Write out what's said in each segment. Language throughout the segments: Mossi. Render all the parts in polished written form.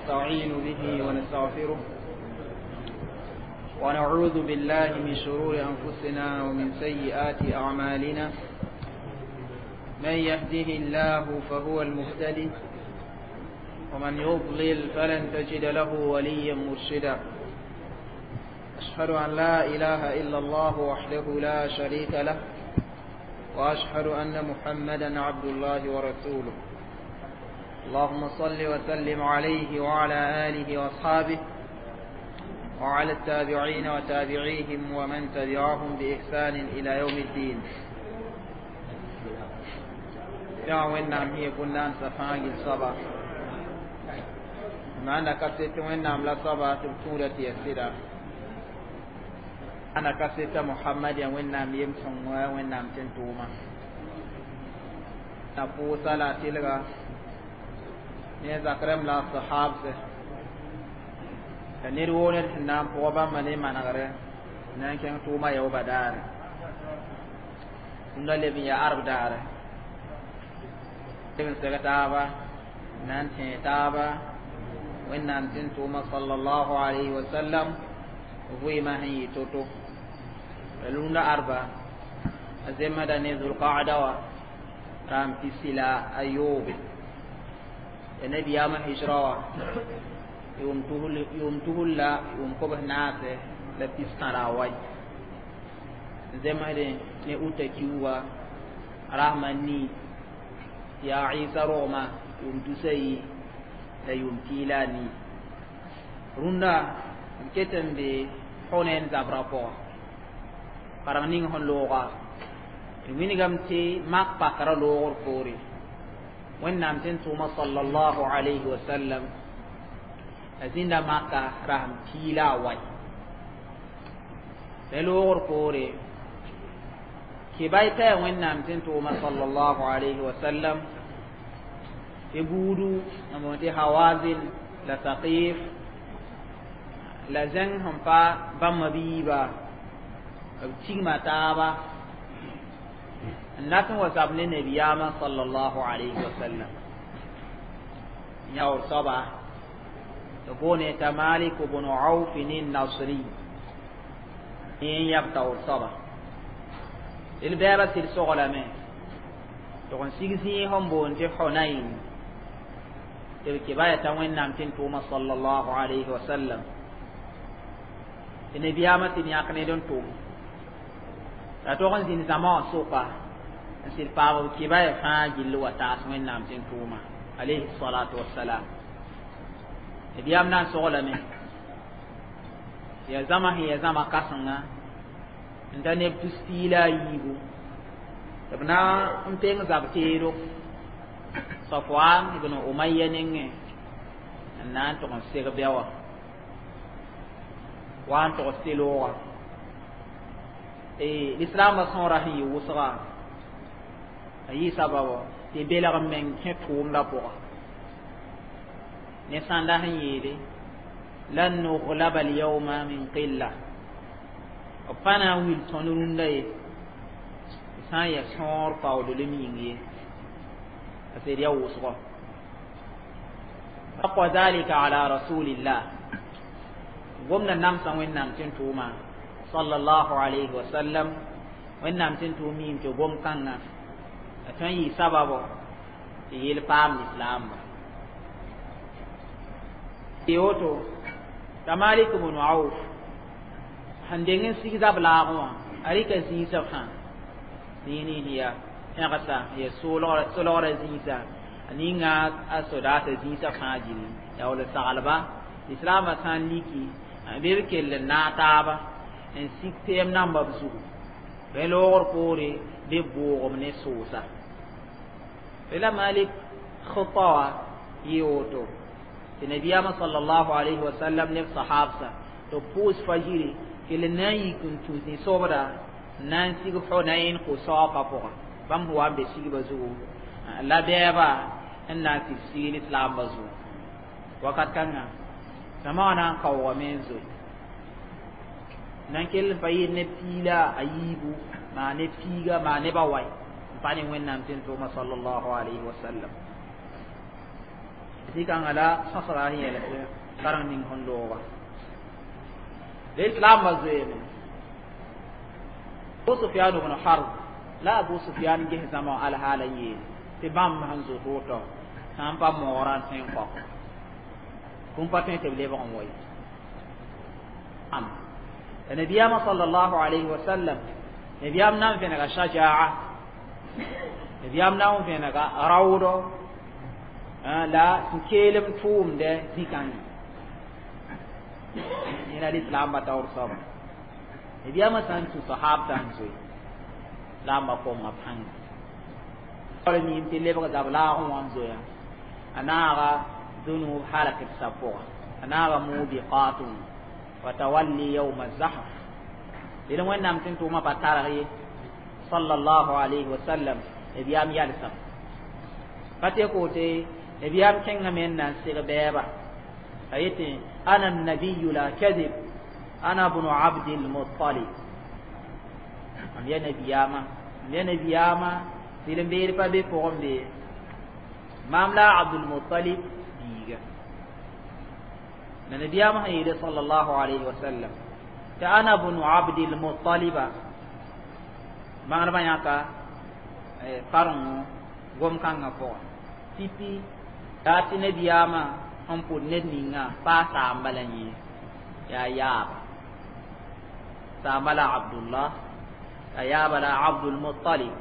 ونستعين به ونستغفره ونعوذ بالله من شرور أنفسنا ومن سيئات أعمالنا. من يهده الله فهو المهتدي، ومن يضلل فلن تجد له وليا مرشدا. أشهد أن لا إله إلا الله وحده لا شريك له، وأشهد أن محمدا عبد الله ورسوله. اللهم صل وسلم عليه وعلى آله وأصحابه وعلى التابعين وتابعيهم ومن تبعهم بإحسان إلى يوم الدين. يا وين هي كنا سفاق الصبا ما أنا كسيت وين لا صبا تبتورة يسيرا أنا كسيت محمد يا وين نام يمسون وين نام تنتوما نفوس لا تلغى ne zakrem la sahab se ta ned woo ned sẽn na n pʋgã bãmba ne manegre na n kẽng tʋʋma yaooba daare rũndã leb n yaa arb daare leb n seg taaba na n tẽe taaba Wẽnnaam tɩ n tʋʋma sallallahu alayhi wa sallam vɩɩmã sẽn yɩ to-to la rũndã arba a zemsda ne zulqaada wã raam pisi la a yoobe ya nabiyaamã hijra wã yʋʋm tusr la yʋʋm kobs naase la pis tãra a wai zemsdẽ ne uta kiuga rasma nii yaa Ɩsa rogmã yʋʋm tusa yi la yʋʋm piig la a nii. Rũndã b ket n be Hunain zabrã pʋga kareng ning sẽn looga d wilgame tɩ mak pakra loogr poore Wẽnnaam tɩ n tʋʋma sallallahu alayhi wa sallam a zĩnda maka rasem pii la a wai la loogr poore kebay taya Wẽnnaam tɩ n tʋʋma sallallahu alayhi wa sallam tɩ buudu n boond tɩ Hawazin la Saqif la zẽng sẽn pa bãmba biiba b tigma taaba n dat n wa zab ne nabiyaamã sallallahu alayhi wa sallam yaoor soaba tɩ boone t'a Malik bn Auf Nasri n yab taoor soaba d bɛɛba sɩd soglame tɩ n sig zĩig sẽn boond tɩ Hunain tɩ b kebaya t'a Wẽnnaam tɩ n tʋʋma sallallahu alayhi wa sallam tɩ nabiyaamã sɩd yãk ned n tʋm la tog n zĩnd zãma wã sʋka n sɩd paam b kebaya fãa gill wa taas Wẽnnaam tɩ n tʋʋma alayhi salatu wassalam. Nabiyaam na n soglame yaa zãma sẽn yaa zãma kãsenga n ta neb tus pii la a yiibu tɩ b na n peng zab teedo Safwan ibn Umayya nengẽ n na n tʋg n seg bɛ wã wa n tʋgs tɩ loogã lislaambã sõora sẽn yɩ wʋsga a yɩ sababo tɩ belg n meng kẽ tʋʋmdã pʋga ne sãnda sẽn yeele lan nuglaba alyawma min qilla b pa na n wil tõnd rũndã ye sã n yaa sõor paoodlem yĩng ye parce que yaa wʋsgɔ aqwa dhalika ala rasulillah gomna namsã Wẽnnaam tɩ n tʋʋma sallallahu alayhi wa sallam Wẽnnaam tɩ n tʋʋm miime tɩ gom kãngã a tõe n yɩ sababo tɩ yel paam lislaamba woto t'a Malik bn Auf sẽn deng n sig zab laagẽ wã a rɩka zĩisã fãa zĩig nins yaa pẽgsa ya solgrã zĩisa a ninga a sodaasã zĩisã fãa gilli yaa wall saglba lislaambã sã n liki bɩ b kell n naag taaba n sig tɛɛm namba b zugu bɩ loogr poore bɩ boogem ne soosa la Malik khita wã yɩ woto tɩ nabiyaamã sallallahu alayhi wa sallam neb sahabsa tɩ b pʋʋs fajiri kell n na n yik n tũ zĩ-sobda n na n sig Hunain ko-saoogã pʋgã bãmb sẽn wa n be sigba zugu la bɛɛba n na n sɩd sig lislaambã zugu wakat kãngã zãma wã na n kaoogame n zoe nan kell n pa yɩɩd ne pii la a yiibu maa ne piiga maa nebã wai n pa ne Wẽnnaam tɩ n tʋʋma sallallahu alayhi wa sallam. Zĩ-kãngã la sõsga sẽn yɛls kareng ning sẽn looga lislaambã zoeeme. Abu Sufyan ibn Harb la Abu Sufyan ges zãma alhaala n yeel tɩ bãmb sẽn zoet woto sã n pa moogrã n tõe n kõ bũmb pa tõe tɩ b lebg n wa ye. Am la nabiyaamã sallallahu alayhi wa sallam, nabiyaam na n vẽnega shajaa, nabiyaam na n vẽnega raoodo la sẽn keelem tʋʋmdɛ zĩ-kãngã. Yẽla lislaambã taoor soaba, nabiyaamã sã n tũ sahabtã n zoe laamba konga pãnga wala miim tɩ lebg zab laagẽ wã n zoea a naaga zunub halk d sab pʋga, a naaga mubiqatun wa tawalli yawma zahf. Dẽn Wẽnnaam tɩ n tʋʋmã pa targ ye sallallahu alayhi wa sallam. Nabiyaam yalsam pa tɩ kote nabiyaam kẽngame n na n seg bɛɛba a yetɩ: "Ana nabiyu la kadib, ana bunu Abdilmutalib." Mam ya nabiyaamã, mam ya nabiyaamã, sɩd n beed pa be pʋgẽ be maam la Abdulmutalib biiga. La nabiyaamã sẽn yeele sallallahu alayhi wa sallam tɩ ana bunu Abdilmutaliba, bãngdbã yãka karengo gom-kãngã pʋgã pipi yaa tɩ nabiyaamã sẽn pʋd ned ninga paa saamba la yẽ yaa yaaba, saamba la Abdullah, la yaaba la Abdulmutalib.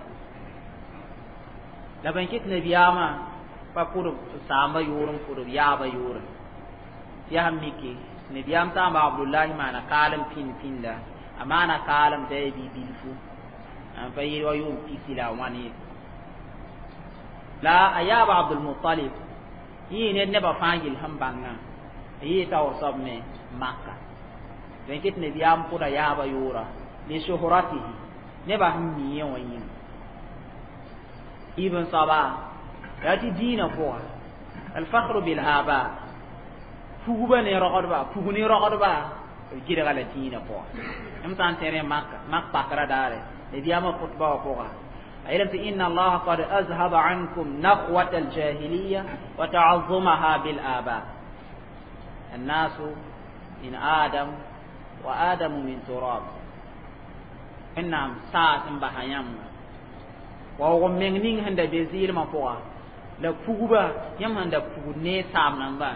La bãn kɩt nabiyaamã pa pʋd saamba yʋʋr n pʋd b yaaba yʋʋre. Yaa miki nabiyaam saamba Abdullahi maana kaalem pĩnd pĩnda, a maana kaalem t'a yaa bi-bilfu n pa yɩl wa yʋʋm pisi la a wãn ye. La a yaaba Abdulmutalib yẽ ned nebã fãa gill sẽn bãngã a yee taoor soab me Maka. Bẽn kɩt nabiyaam pʋda yaaba yʋʋra li shuhratihi, nebã sẽn mi yẽ wã yĩnga. Ibn soaba yaa tɩ dĩinã pʋga alfakhru bil aba, pugba ne rogdba, pug ne rogdba b gɩdga la dĩinã pʋga. M sã n tẽrẽ mak pakra daare nabiyaamã khutba wã pʋga a yeelame tɩ inna allaha qad azhaba ankum nakhwata aljahiliya wa ta'azzumaha bil aba, annasu min Adam wa Adamu min turab. Wẽnnaam saas n basa yãmb waoog n meng ning sẽn da be zɩɩlmã pʋga la pugba yãmb sẽn da pugd ne saam nambã,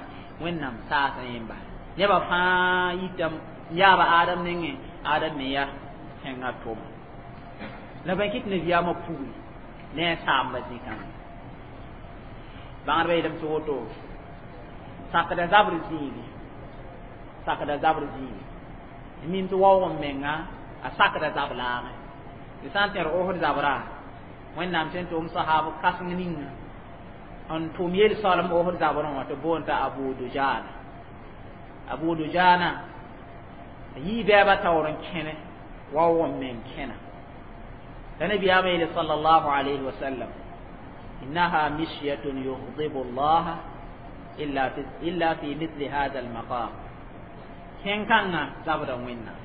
Wẽnnaam saasã yẽ bas nebã fãa yitame yaaba Adam nengẽ, Adam me ya kẽngã tʋma. La bãn kɩt nabiyaamã pugri ne a saamba zĩ-kãngã. Bãngdbã yeelame tɩ woto sakda zabr zĩigi, sakda zabr zĩigi mim tɩ waoog n menga a sakda zab laagẽ. Tɩ sã n tẽr Osd zabra, Wẽnnaam sẽn tʋm sahab kãseng ninga n tʋm yel soalem Osd zabrẽ wã tɩ boond t'a Abu Dujana. Abu Dujana yii bɛɛba taoor n kẽne waoog n meng kẽna. La nabiyaamã yeele sallallahu alayhi wa sallam: "Innaha mishyatun yughdibu Allah illa fi mithli hadha almaqam." Kẽn-kãngã zabda Wẽnnaam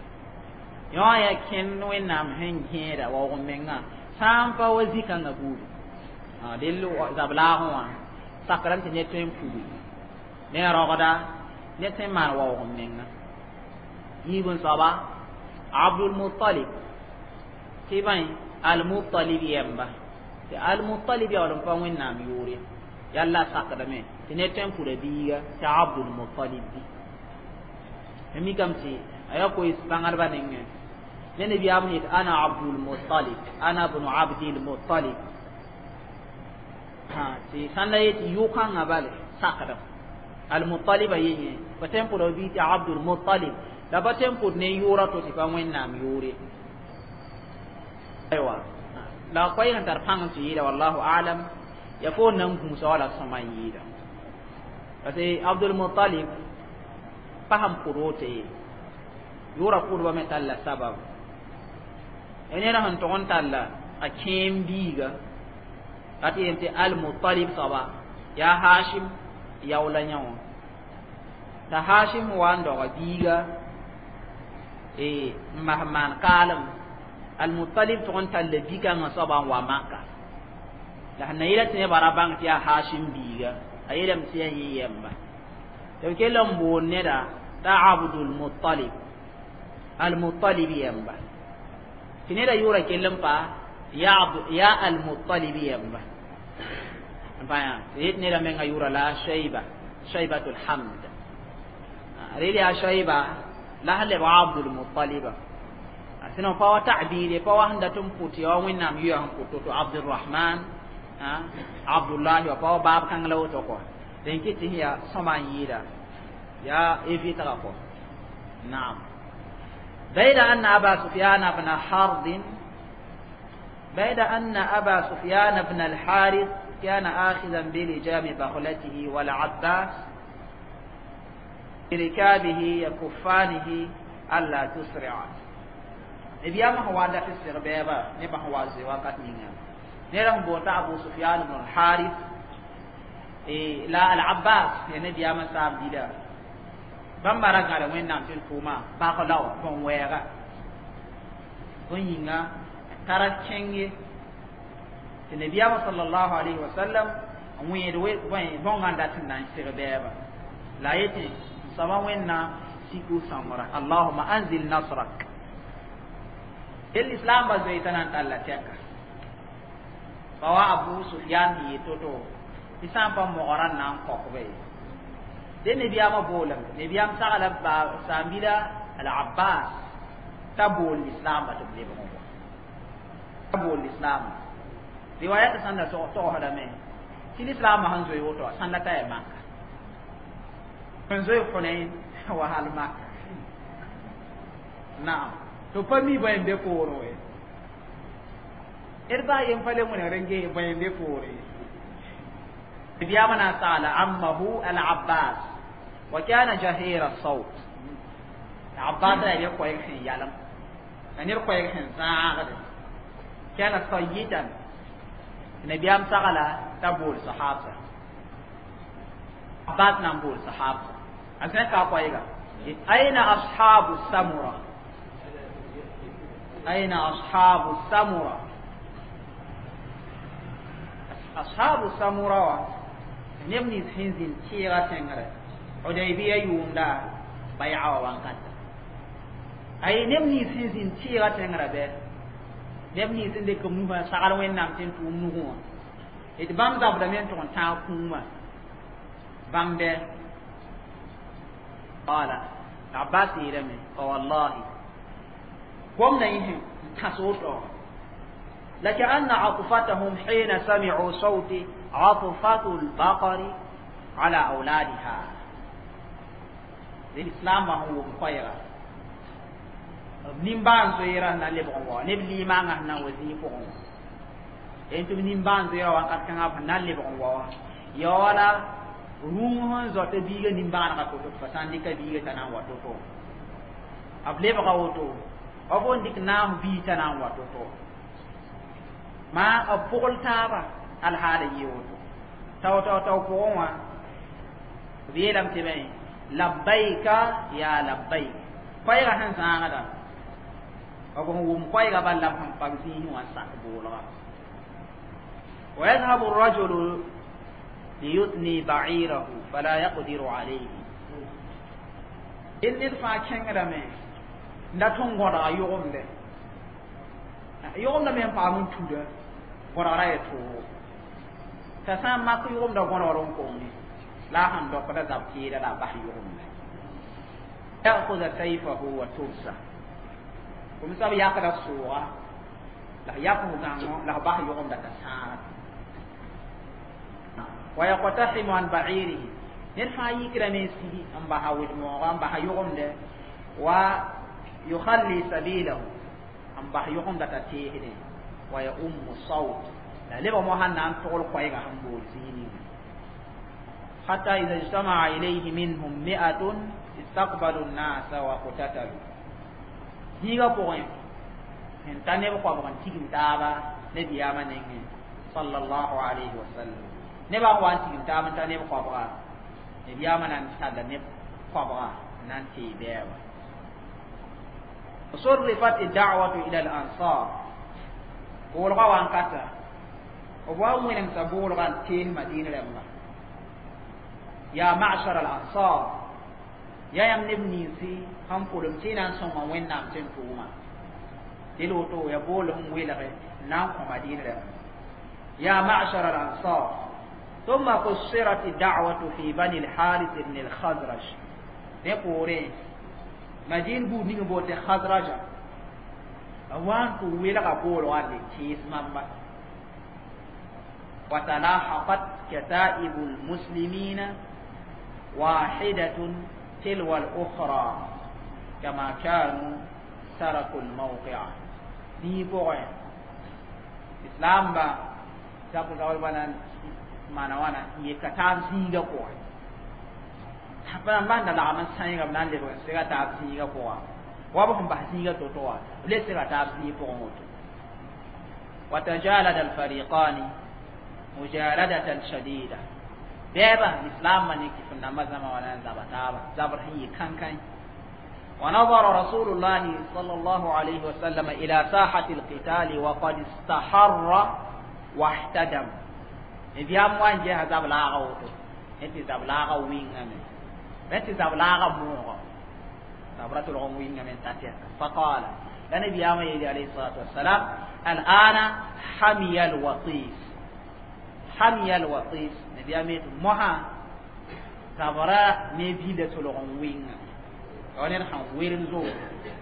yõ ya kẽnd Wẽnnaam sẽn gẽeda waoog n mengã sã n pa wa zĩ-kãngã buudi dell zab laagẽ wã sakrame tɩ ned tõe n pugi ne rogda ned tõe n maan waoog n menga. Yiib n soaba Abdulmutalib tɩ bãe Almutalib yɛmba tɩ Almutalib yaool n pa Wẽnnaam yʋʋr ye yalla sakdame tɩ ned tõe n pʋda biiga tɩ Abdulmutalib bi mikame tɩ a yaa koees bãngdbã nengẽ ne nabiyaam yet: "Ana Abdulmutalib, ana bunu Abdilmutalib." Tɩ sãn la yetɩ yʋ-kãngã bale sakdem Almutaliba ye yẽ pa tõe n pʋda bii tɩ Abdulmutalib la pa tõe n pʋd ne yʋʋra to tɩ pa Wẽnnaam yʋʋr ye. Aywa, la koɛɛg n tar pãng tɩ yɩɩda, wallahu alam, ya fo nan gũusa wala sõma n yɩɩda parce que Abdulmutalib pa sẽn pʋd woto ye yʋʋra pʋdba me talla sabab ya ned sẽn tʋg n talla a kẽem biiga la tɩ yem tɩ Almutalib soaba yaa Hashim yaoola yã wã t'a Hashim wa n doga biiga n mas maan kaalem Almutalib tʋg n talla bi-kãngã soaba n wa Maka la sẽn na yɩla tɩ nebã ra bãng tɩ yaa Hashim biiga. A yeelame tɩ yaa yẽ yɛmba tɩ b kell n boond neda t'a Abdul Mutalib, Al-Mutalib yɛmba, tɩ neda yʋʋra kell n pa yaa Al-Mutalib yɛmba n pa yã tɩ yet neda menga yʋʋra la Shayba, Shaybatul Hamd. Rel yaa Shayba la sẽn lebg Abdul Mutaliba. Sinon pa wa ta'bir pa wa sẽn dat n pʋt ya wa Wẽnnaam yʋya sẽn pʋt to Abdurrahman, Abdullahi wa pa wa baab kãng la woto kɔ. Dẽn kɩ tɩ sẽn yaa sõma n yɩɩda yaa évitga kɔ. Naam. بيد أن أبا سفيان بن حرب، بيد أن أبا سفيان بن الحارث كان آخذا بلجام بغلته والعباس بركابه يكفانه ألا تسرع. نبيام هو دا في السربيبا نبا هو زواقات نينا نيرم بوتا أبو سفيان بن الحارث إيه لا العباس يعني نبيام سام ديدا bãmba ra gãda Wẽnnaam tɩ tʋʋma bag la bõn-wɛɛga bõe yĩnga tara kẽng ye tɩ nabiyaamã sallallahu alayhi wa sallam n wẽed bõngã n dat n na n seg bɛɛba la a yetɩ n soaba Wẽnnaam siku sõngra Allahuma anzil nasrak. El islam ba zoe t'a na n talla tɛka pa wa Abu Sufyan sẽn yet to-to tɩ sã n pa mogrã n na n kõkba ye. De nabiyaamã boolame, nabiyaam sagla saambila Al-Abbas t'a bool lislaambã tɩ b lebg n wa t'a bool lislaambã. Riwayat sãn da togsdame tɩ lislaambã sẽn zoe woto sãn la t'a ya Maka sẽn zoe Hunain wa hal Maka. Naam, tɩ pa mi bõe n be poorẽ we d baa yen pa le wẽnegd n ges bõe n be poorẽ. Nabiyaamã na n sagla ammahu Al-Abbas wa kana jahira sawt. Abbas la ya koɛɛg sẽn yalem la ned koɛɛg sẽn zãagde kana sayitan. Nabiyaam sagla t'a bool sahabsa, Abbas na n bool sahabsa a sẽn ka koɛɛga: aina ashabu samura, aina ashabu samura? Ashabu samura wa neb nins sẽn zĩnd tɩɩga tẽngre Hudaybiya yʋʋmda bay'a wa wãnkata. Ay, neb nins sẽn zĩnd tɩɩga tẽngrã bɛ neb nins sẽn dɩk b nusã sagl Wẽnnaam tɩ n tʋʋm nugẽ wã d bãmb zabdame n tʋg n tãag kũumã bãmb bɛ. Qala Abbas yeelame: fa wallahi gomna yẽ n tãs woto لكأن عطفتهم حين سمعوا صوتي عطفة البقر على أولادها. الإسلام هو خيرا nimbaan zoeera na lebg n wa neb limaangã sẽn na n wa zĩig pʋgẽ wã tɩ b nimbaan zoeera wakat kãngã b na lebg n wa wã ya wala rũng sẽn zoata biiga nimbãanegã to-to tɩ fa sã n dɩka biiga t'a na n wa to-to b lebga woto b n dɩk naas bii t'a na n wa to-to maa b pʋgl taaba alhaala yɩ woto tao tao tao pʋgẽ wã b yeelame tɩ bãe labbaika ya labbaik koɛɛgã sẽn zãagda b sẽn wʋm koɛɛgã bal la b sẽn pag zĩisẽ wã sak boolga. ويذهب الرجل ليثني بعيره فلا يقدر عليه. Ned fãa kẽngdame n dat n gõdga yʋgemde yʋgemda me n paam n tuda gõdgra ya toogo t'a sã n mak yʋgemda gõdgr n konge la a sẽn dokda zab kɩɩda la a bas yʋgemda ya'khudha sayfahu wa tursa kom sab yakda sʋʋga la yak f gãngo la f bas yʋgemda t'a sãara wa yaqtahimu an ba'irihi ned fãa yikrame n sigi n basa wed-mooga n basa yʋgemdɛ wa yukhalli sabilahu n bas yʋgemda t'a teesdẽ wa ya ummu sawt la lebg mo sãn na n togl koɛɛgã sẽn bool zĩig ninga حتى إذا اجتمع إليه منهم 100 استقبلوا الناس وقتتلوا. Zĩigã pʋgẽ sẽn ta neb koabg n tigim taaba nabiyaamã nengẽ sallallahu alayhi wa sallam nebã n wa n tigim taab n ta neb koabga nabiyaamã na n talla neb koabga n na n tee bɛɛba. صرفت الدعوة إلى الأنصار boolga wankata b wa wẽnemsa boolga n tees Madina rãmba. Ya ma'shar al-ansar, ya yãmb neb ninsi sẽn pʋlem tɩ y na n sõnga Wẽnnaam tɩ n tʋʋma dẽl woto ya bool n welge n na n kõ Madin rẽmba. Ya ma'shar al-ansar. ثم قصرت الدعوة في بني الحارث بن الخزرج. Ne poorẽ Madin buud ning bool tɩ Khazraja a wa n tɩ welga boolgã n le kẽes mamba. وتلاحقت كتائب المسلمين واحدة تلو الأخرى كما كانوا تركوا الموقع. Zĩig pʋgẽ islam ba zab zaool na maana wãna n yeka taab zĩigã pʋgẽ rãmba n da lagm n sãenga b na n lebg n sega taab zĩigã pʋga wa b sẽn bas zĩigã to-to wã b le sega taab zĩig pʋgẽ woto. وتجالد الفريقان مجالدة شديدة. بابا الإسلام من كيف نما زما ولا زبا تابا زبر هي كان كان. ونظر رسول الله صلى الله عليه وسلم إلى ساحة القتال وقد استحر واحتدم. إذ يام وان جهة زب لاغا وتو انت زب لاغا وين أمي انت زب لاغا موغا زبرة الغم وين أمي تاتيا. فقال لنبي يام عليه الصلاة والسلام: الآن حمي الوطيس، حمي الوطيس. نبي يام مها زبرة نبيلة الغم وين ونر خان ويرن زو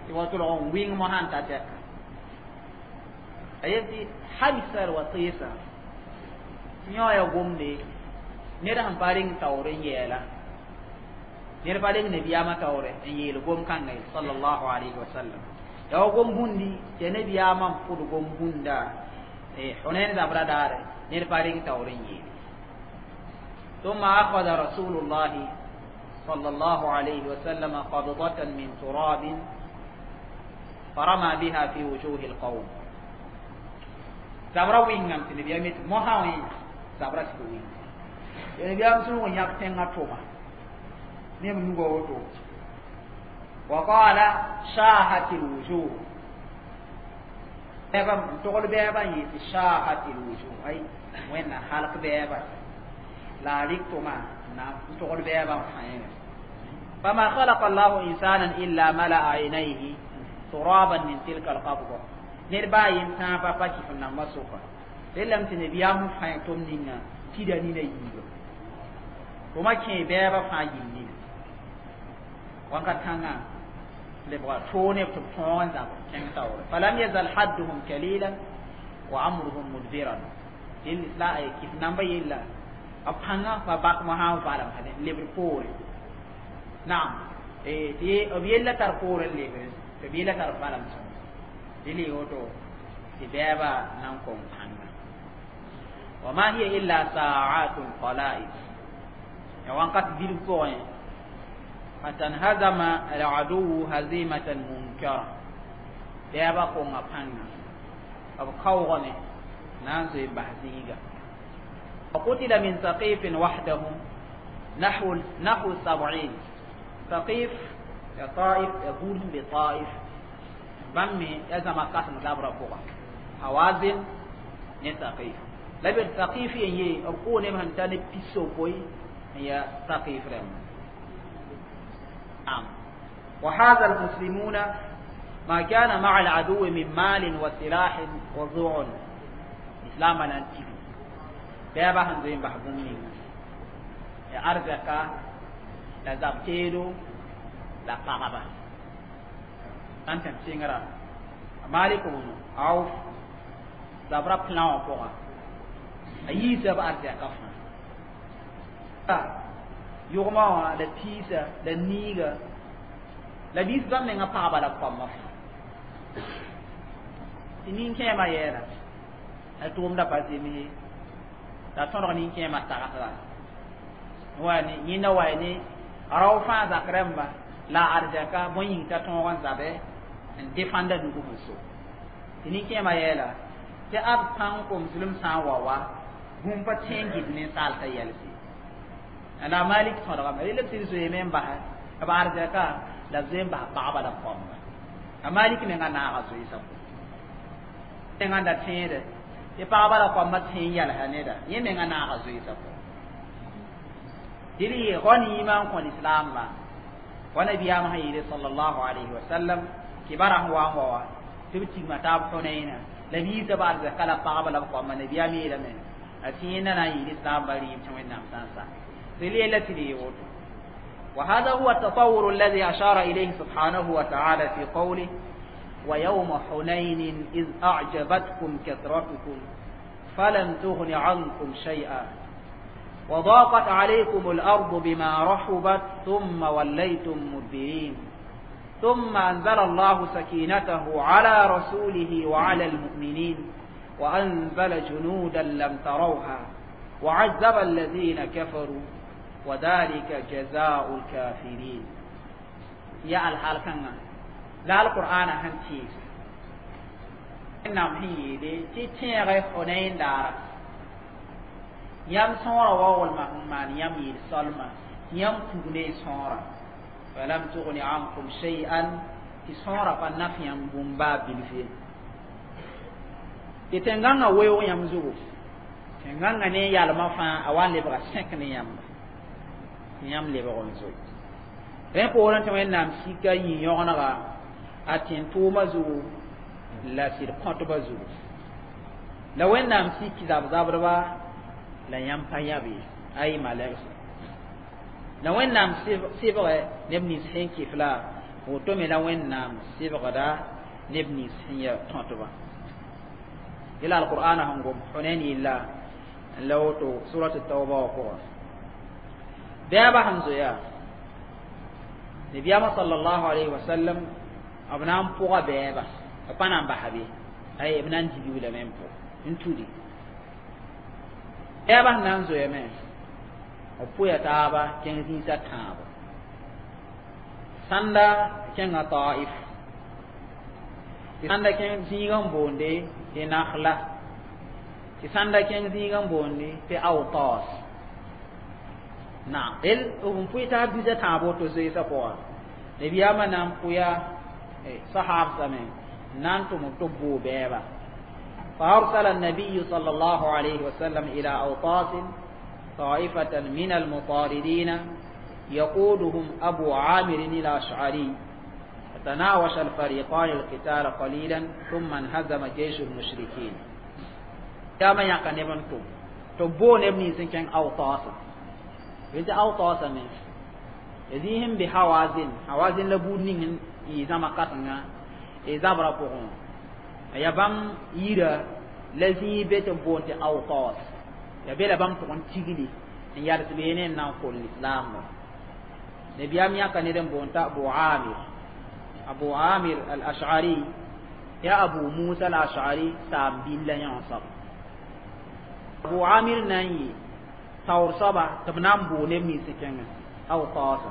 تي وتلغ وين مها تاتيا. أيتي حمي الوطيس yõ ya gomde ned sẽn pa reng taoor n yɛɛla ned pa reng nabiyaamã taoore n yeel gom kãnga ye sallallahu alayhi wa sallam ya wa gom bũndi tɩ nabiyaamã n pʋd gom bũnda Hunayn zabra daare ned pa reng taoor n yeel. ثم أخذ رسول الله صلى الله عليه وسلم قبضة من تراب فرمى بها في وجوه القوم. zabra wingam tɩ nabiyaam yetɩ mosã wẽ zabra sɩd wĩnga ya nabiyaam sẽn wa yãk tẽngã tʋma ne b nuga woto. وقال شاهت الوجوه bɛɛba n togl bɛɛba n yetɩ شاهت الوجوه ay wẽnna halk bɛɛba la a rɩk tʋma na n togl bɛɛba n fãe. فما خلق الله إنسانا إلا ملأ عينيه ترابا من تلك القبضة. ned baa yen tãabã pa kɩf n namba sʋka relame tɩ nabiyaam fãe tʋm ninga tida nina yiiba tʋma kẽ bɛɛba fãa yil nina wãnkat kãngã lebga toog neb tɩ b tõog n zab kẽng taoore. فلم يزل حدهم كليلا وأمرهم مدبرا. la kɩf namba yella b pãngã pa bak mosã n valem lebd poore naam tɩ b yella tar poore n lebre tɩ b yella tar valem sõm dili woto tɩ bɛɛba na n kõn pãnga. وما هي إلا ساعات قلائل ya wãnkat bilf pʋgẽ حتى انهزم العدو هزيمة منكرة. bɛɛba konga pãnga b kaoogame na n zoe n bas zĩiga. وقتل من ثقيف وحده نحو 70. ثقيف يا طائف يقول بطائف bãmb me ya zãma kãsem zabra pʋga Hawazin ne Thaqif la b Thaqif yen ye b kʋʋ neb sẽn ta ne pisopoe n ya Thaqif rãmba am. وهذا المسلمون ما كان مع العدو من مال وسلاح وضعن إسلام نانتي بابا sẽn zoe n bas bũmb ninga ya arzɛka la zab teedo la pagba ãn tẽm sɩngra Malik bn Auf zabra plan wã pʋga a yiisa b arzɛka fãa yʋgmã wã la piisa la niiga la biis bãmb menga pagba la koamã fãa tɩ nin-kẽemã yɛɛla a tʋʋmda pa zems la tõdg nin-kẽemã tagsda wa ne yẽnda wa ne rao fãa zak rãmba la arzɛka bõe yĩng t'a tõog n zabe n defãnda nug sẽn so tɩ nin-kẽemã yɛɛla tɩ ab pãng komslem sã n wa wa bũmb pa tẽ n gɩd ninsaal t'a yɛlse la Malik tõdgame rel b sɩd zoeeme n basɛ b arzɛka la b zoe n bas pagba la koamba a Malik menga naaga zoeesã pʋgẽ n da tẽede tɩ pagba la koambã tẽ n yɛlsa neda yẽ menga naaga zoeesã pʋgẽ. Tɩ ghanima n kõ lislaambã wa nabiyaamã sẽn yeele sallallahu alayhi wa sallam kibara sẽn wa n wa wa tɩ b tigma taab Hũnayna la b yiisa b arzɛka la pagba la b koamba. Nabiyaam yeelame a tẽenda na n yɩɩd islaambã rɩɩb tɩ Wẽnnaam sã n sa tɩ yella tɩ yee woto. وهذا هو التطور الذي أشار إليه سبحانه وتعالى في قوله: ويوم حنين إذ أعجبتكم كثرتكم فلم تغن عنكم شيئا وضاقت عليكم الأرض بما رحبت ثم وليتم مدبرين، ثم أنزل الله سكينته على رسوله وعلى المؤمنين وأنزل جنودا لم تروها وعذب الذين كفروا وذلك جزاء الكافرين. يا الحال كان لا القرآن هنتي نعم هي دي تي حنين دار yam sõora waoolma n maan yãmb yɩɩl solma, yãmb pug ne sõora, falam tugni ankum shay'an, tɩ sõora pa naf yãmb bũmb baa bilf ye, tɩ tẽn-gãngã weoog yãmb zugu, tẽn-gãngã ne yalmã fãa a wa n lebga sẽk ne yãmba tɩ yãmb lebg n zoe. Rẽ poorẽ tɩ Wẽnnaam sika yĩ-yõgenega a tẽn-tʋʋmã zugu la sɩd kõtbã zugu, la Wẽnnaam sik zab-zabdba la yãmb pa yãb ye ay malɛgse la Wẽnnaam sɩbgɛ neb nins sẽn kɩf la woto me la Wẽnnaam sɩbgda neb nins sẽn ya tõtbã. Yela alqur'ana sẽn gom Hunain yella n la woto surat tauba wã pʋgã. Bɛɛba sẽn zoeya nabiyaamã sallallahu alayhi wa sallam b na n pʋga bɛɛba b pa na n basa be ay b na n dibi lame n pʋg n tudi. Bɛɛba sẽn na n zoeame b pʋya taaba kẽng zĩisã tãabo sãnda kẽnga Taif, tɩ sãnda kẽng zĩigã n boonde tɩ Nakhla, tɩ sãnda kẽng zĩigã n boonde tɩ Awtas. Na el b pʋɩ taab bisa tãabo to zoeesã pʋga. Nabiyaamã na n pʋya sahaabsame n na n tʋm tɩ b boo bɛɛba. فأرسل النبي صلى الله عليه وسلم إلى أوطاس طائفة من المطاردين يقودهم أبو عامر الأشعري، فتناوش الفريقان القتال قليلا ثم انهزم جيش المشركين. كما يقن ابن تبون ابن سنكن أوطاس إذا أوطاس من يزيهم بحوازن حوازن لبودنين إذا ما قطنا إذا برقهم ya bãmb yira la zĩig be tɩ b boond tɩ Awtas ya be la bãmb tʋg n tigli n yals beene n na n kol lislaambã. Nabiyaam yãka ned n boond t'a Abu Amir, Abu Amir al-Ash'ari ya Abu Musa al-Ash'ari saam billa yã wã soab. Abu Amir na n yɩ taoor soaba tɩ b na n boo neb nins kẽngẽ Awtasa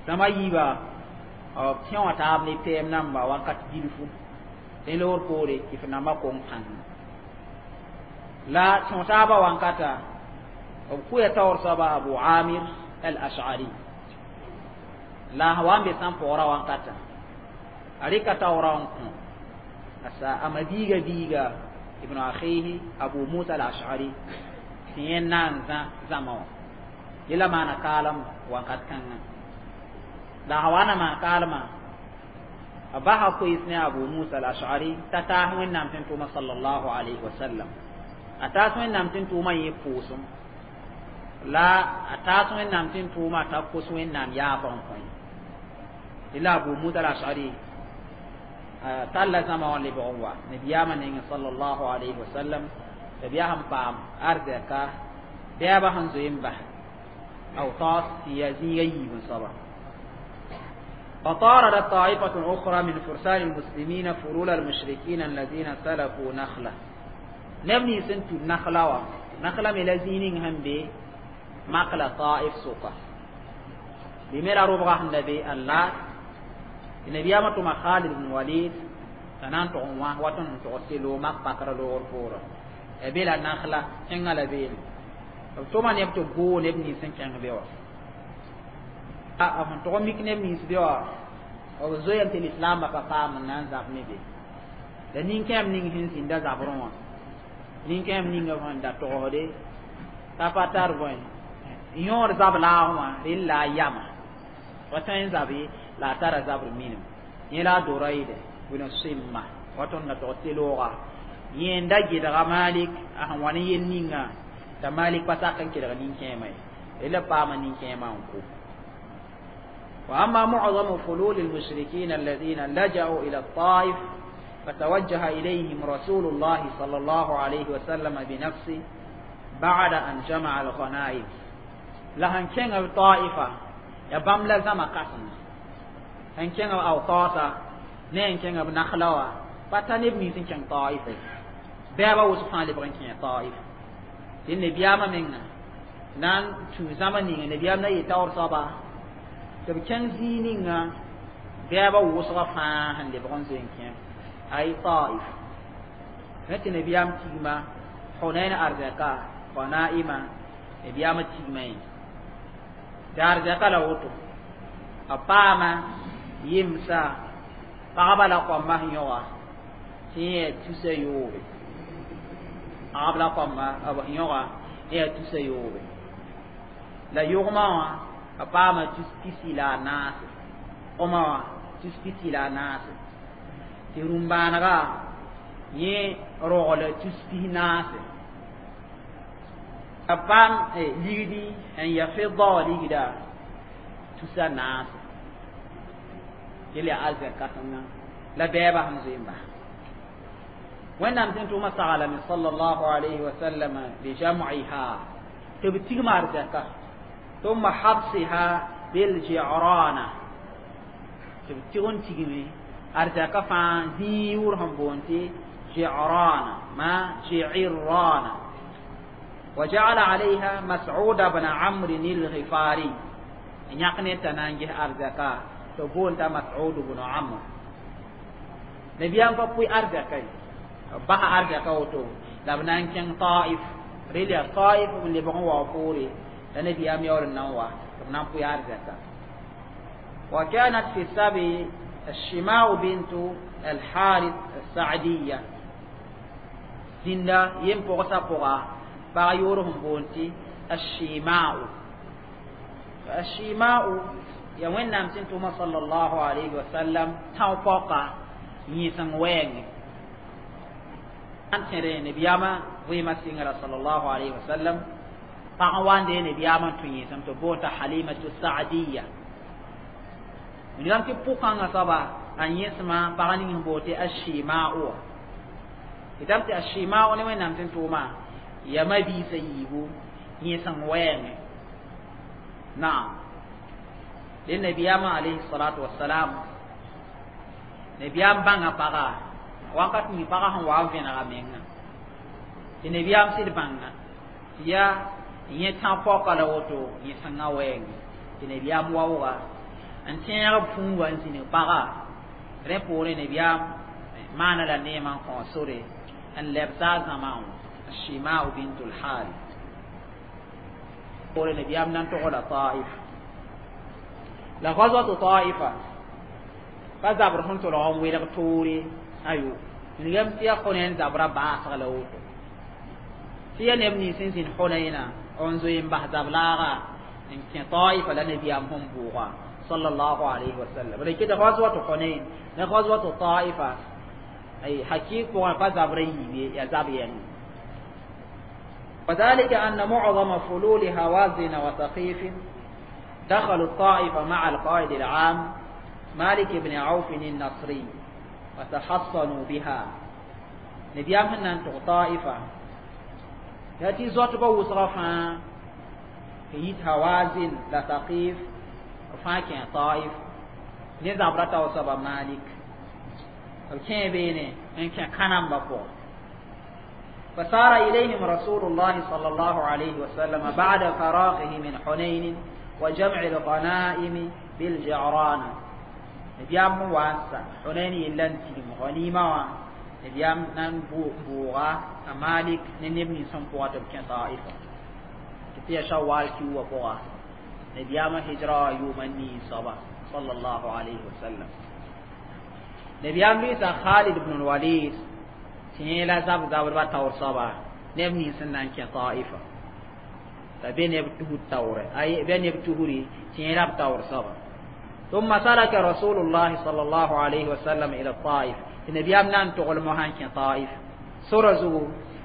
zãma yiiba b tẽ wã taab ne pɛɛm namba wakat bilfu tɩ loor poore tɩ f namba kong pãng la tẽ taabã wankata b kʋya taoor soaba Abu Amir al-Ash'ari la wa n be sãn paoora wankata a rɩka taoora n kõ asa a ma-biiga biiga ibn akhihi Abu Musa al-Ash'ari tɩ yẽ na n zã zãma wã yela maana kaalem wakat kãngã la a wa na maan kaalmã a basa koees ne Abu Musa al-Ash'ari t'a taas Wẽnnaam tẽn tʋʋma sallallahu alayhi wa sallam, a taas Wẽnnaam tẽn tʋʋmã yẽ pʋʋsem la a taas Wẽnnaam tẽn tʋʋmã t'a kos Wẽnnaam yaabã n kõ tɩ la Abu Musa al-Ash'ari talla zãma wã lebg n wa nabiyaamã nengẽ sallallahu alayhi wa sallam tɩ b yaa sẽn paam arzɛka bɛɛbã sẽn zoe n bas Awtas tɩ yaa zĩiga yiib n soaba. فطاردت طائفة أخرى من فرسان المسلمين فلول المشركين الذين سلكوا نخلة نبني سنتو نخلة و نخلة ملزينين هم بي مقلة طائف سوقة بمرا ربغة النبي الله النبي أمتما خالد بن وليد تنان تغنوا وطن تغسلوا مقبقر لغر فورا أبيلا نخلة إنغا لبيل ثم نبتو بو نبني سنكين بيوا a sẽn tʋg n mik neb nins be wã b zoeem tɩ lislaambã pa paam n na n zab ne be la nin-kẽem ning sẽn zĩnda zabrẽ wã nin-kẽem ninga sẽn da togsde t'a pa tar bõe Yõod zab laagẽ wã rel la a yama wa tõe n zabe la a tara zabr minim yẽ la a doraide bn sɩmma wa tõnd na tog tɩ looga yẽnda gɩdga Malik a sẽn wa ne yel ninga t'a Malik pa sak n kelg nin-kẽemã ye rela paama nin-kẽemã n kʋ. وأما معظم فلول المشركين الذين لجأوا إلى الطائف فتوجه إليهم رسول الله صلى الله عليه وسلم بنفسه بعد أن جمع الغنائم. La sẽn kẽng b Taifa ya bãmb la zãma kãseng sẽn kẽng b Awtasa ne n kẽng b Nakhla wã pa ta neb nins n kẽng Taifa bɛɛba wʋsg fãa lebg n kẽe Taif tɩ nabiyaamã menga na n tũ zãma ninga nabiyaam na yɩ taoor soaba tɩ b kẽng zĩig ninga bɛɛba wʋsga fãa sẽn lebg n zoe n kẽ ay Taif rẽ tɩ nabiyaam tigma Hunain arzɛka ganaima nabiyaamã tigma ye tɩ arzɛka la woto a paama yemsa pagba la kõmba sẽn yõga tɩ yẽ yaa tusa yoobe pagb la kõmba b sẽn yõga yẽ yaa tusa yoobe la yʋgmã wã a paama tus pisi la a naase kõma wã tus pisi la a naase tɩ rũm-bãanega yẽ rogl tus pis naase a paam ligdi n ya fɩdda wã ligda tusa naase yel yaa arzɛk kãsenga la bɛɛba sẽn zoe n bas Wẽnnaam sẽn tʋʋmã saglame sallallahu alayhi wa sallam bijam'iha tɩ b tigma arzɛka ثم حبسها بالجعرانة tɩ b tɩg n tigme arzɛka fãa zĩig yʋʋr sẽn boond tɩ Ji'rana ma Ji'irrana. وجعل عليها مسعود بن عمرو الغفاري yãk ne t'a na n ges arzɛka tɩ boond t'a Mas'ud bn Amr. Nabiyaam pa pʋɩ arzɛka ye b basa arzɛka woto la b na n kẽng Taif rel yaa Taif b lebg n wa poore la nabiyaam yaool n na n wa tɩ b na n pʋɩ arzɛka. وكانت في السبي الشماء بنت الحارث السعدية زندا يم پوغسا پوغا pag yoor sẽn boond tɩ الشيماء. الشيماء ya Wẽnnaam sẽn tʋma sallallahu alayhi wa sallam tão paoka yẽseng wɛɛngẽ n tẽre nabiyaamã vɩɩmã sɩngra sallallahu alayhi wa sallam pag n wa n dee nabiyaamã n tũ yẽsem tɩ boond t'a Halimatu Saadiya wilgame tɩ pʋkãngã soaba a yẽsmã pag ning sẽn boond tɩ Ashima'u wã tɩ tɩ Ashima'u ne Wẽnnaam sẽn tʋʋma ya mabiisã yiibu yẽseng wɛɛngẽ naam dẽ nabiyaamã alayhi salatu wasalam nabiyaam bãnga paga wakat ning paga sẽn wa n vẽnega menga tɩ nabiyaam sɩd bãnga tɩ yaa yẽ tã paoka la woto yẽsengã wɛɛngẽ tɩ nabiyaam waooga n tẽeg b fũuga n zĩnig paga rẽ poorẽ nabiyaam maana la neemã n kõ sore n lebsa a zãmã wã الشيماء بنت الحارث poore nabiyaam na n togla Taif la غزوة طائفة pa zabr sẽn tolg n welg toore ayo wilgame tɩ yaa Hunain zabra baasg la woto tɩ yaa neb nins n zĩnd Hunaina n zoe n bas zab-laaga n kẽ Taifa la nabiyaam sẽn bʋʋga sallallahu alayhi wa sallam rɩkɩd غزوة Hunain ne غزوة طائفة ay hakik pʋgã pa zabra yiib ye yaa zab yɛng. وذلك أن معظم فلول هوازن وثقيف دخلوا الطائف مع القائد العام مالك بن عوف النصري وتحصنوا بها. نبيام هن طائفة يأتي زوت بوصغة يت هوازن لا ثقيف فاكين طائف نزابرتا وصبا مالك الكين بيني إن كان كانم بقو. فسار إليهم رسول الله صلى الله عليه وسلم بعد فراغه من حنين وجمع الغنائم بالجعرانة. نبيام واسا حنين يلنتي غنيمة نبيام نان بوغا مالك نبني سنقوات بكين طائفة تتيا شوال كيو بوغا نبيام هجرة يومني صبا صلى الله عليه وسلم نبيام ليس خالد بن الوليد تيلا زاب زاب با تور صبا نبني سنان كين طائفة. T'a be neb tusr taoore, ay be neb tusri tẽeda b taoor soaba. ثم سلك رسول الله صلى الله عليه وسلم إلى الطائف. Nabiyaam na n togl mosã n kẽ Taif sora zugu.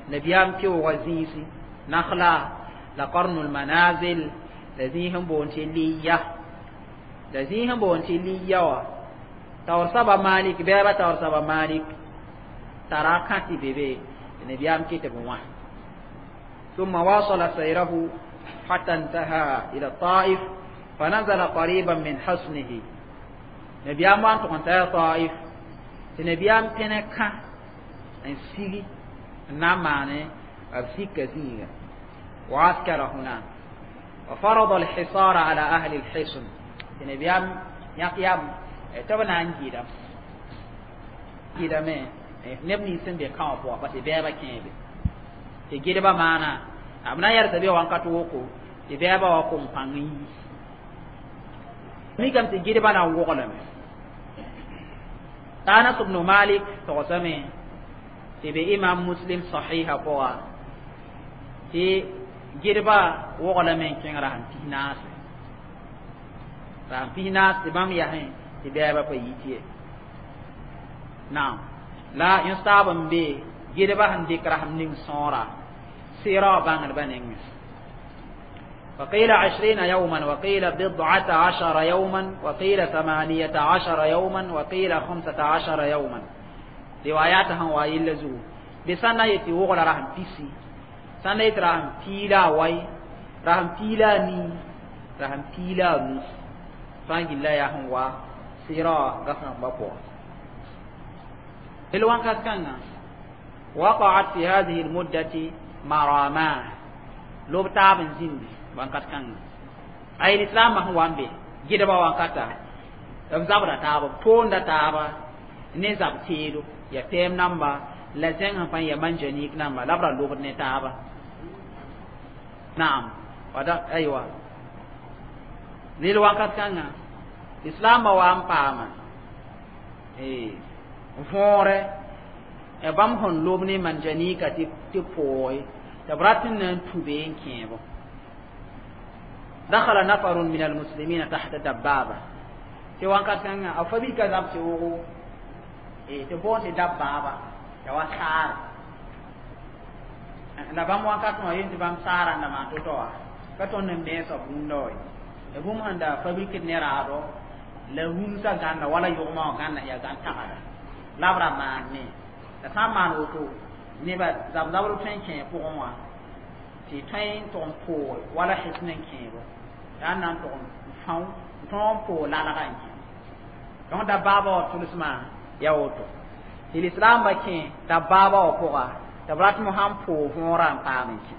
Nabiyaam keooga zĩisi Nakhla la Qarnul Manazil la zĩis n boond tɩ Liya, la zĩis n boond tɩ Liya wã taoor soaba Malik, bɛɛba taoor soaba Malik tara kã tɩ be be tɩ nabiyaam kɩ tɩ b wã. ثم واصل سيره حتى انتهى إلى الطائف، فنزل قريبا من حصنه. نبيام وان تقنتا طائف tɩ nabiyaam pẽne kã n sigi n na n maane b sika zĩiga. وعسكر هناك وفرض الحصار على أهل الحصن. Tɩ nabiyaam yãk yam tɩ b na n gɩdame gɩdame neb nins sẽn be kã wã pʋga, parce bɛɛba kẽebe tɩ gɩdbã maana b na n yɛlsa be wãnkat woko tɩ bɛɛbã wa kom pãng n yi mikame tɩ gɩdbã na n woglame. Anas ibn Malik togsame tɩ be Imam Muslim sahiha pʋga tɩ gɩdbã woglame n kẽng rasem 14, rasem 14 tɩ bãmb yasẽ tɩ bɛɛbã pa yit ye. Naam, la yõ-taab n be gɩdbã sẽn dɩk rasem ning sõora sɩɩra wã bãngdbã nengẽ. وقيل 20 يوما، وقيل 19 يوما، وقيل 18 يوما، وقيل 15 يوما. رواياتها وايل زو بسنة يتي وغلا رحم بيسي، سنة يتي رحم تيلا واي، رحم تيلا ني، رحم تيلا نو فانجي لا يهم وا سيرا غفن بقوا الوان كان. وقعت في هذه المدة مراماه لوب تاب زindi wakat kãnga ay lislaambã sẽn wa n be gɩdbã wankata b zabda taaba, toonda taaba ne zab teedo ya pɛɛm namba la zẽng sẽn pa ya manjanik namba la b ra lobd ne taaba. Naam, wada aywa nel wakat kãnga lislaambã wa n paama võore bãmb sẽn lob ne manjanika tɩ pooge tɩ b rat n na n tu be n kẽebo. دخل نفر من المسلمين تحت دبابة tɩ wãnkat kãngã a fa bika zab tɩ wogo tɩ boond tɩ dabbaaba ya wa saare la bãmb wãnkat wã yen tɩ bãmb saara n da maan to-to wã ka tõnd n meesa bũmb wa ye bũmb sẽn da fabrikd ne raado la rũmsã gãnda wala yʋgmã wã gãnda yaa gãn tagda la b ra maan me la sã n maan woto neba zab-zabr tõe n kẽ pʋgẽ wã tɩ tõe n tʋg n poog wala hesm n kẽebo yaa n na n tʋg n fão n tõog n poog lalga n kẽ. Donc dabaaba wã tʋlsmã ya woto tɩ lislaambã kẽ dabaaba wã pʋga tɩ b rat mosã n poog võorã n paam n kẽ.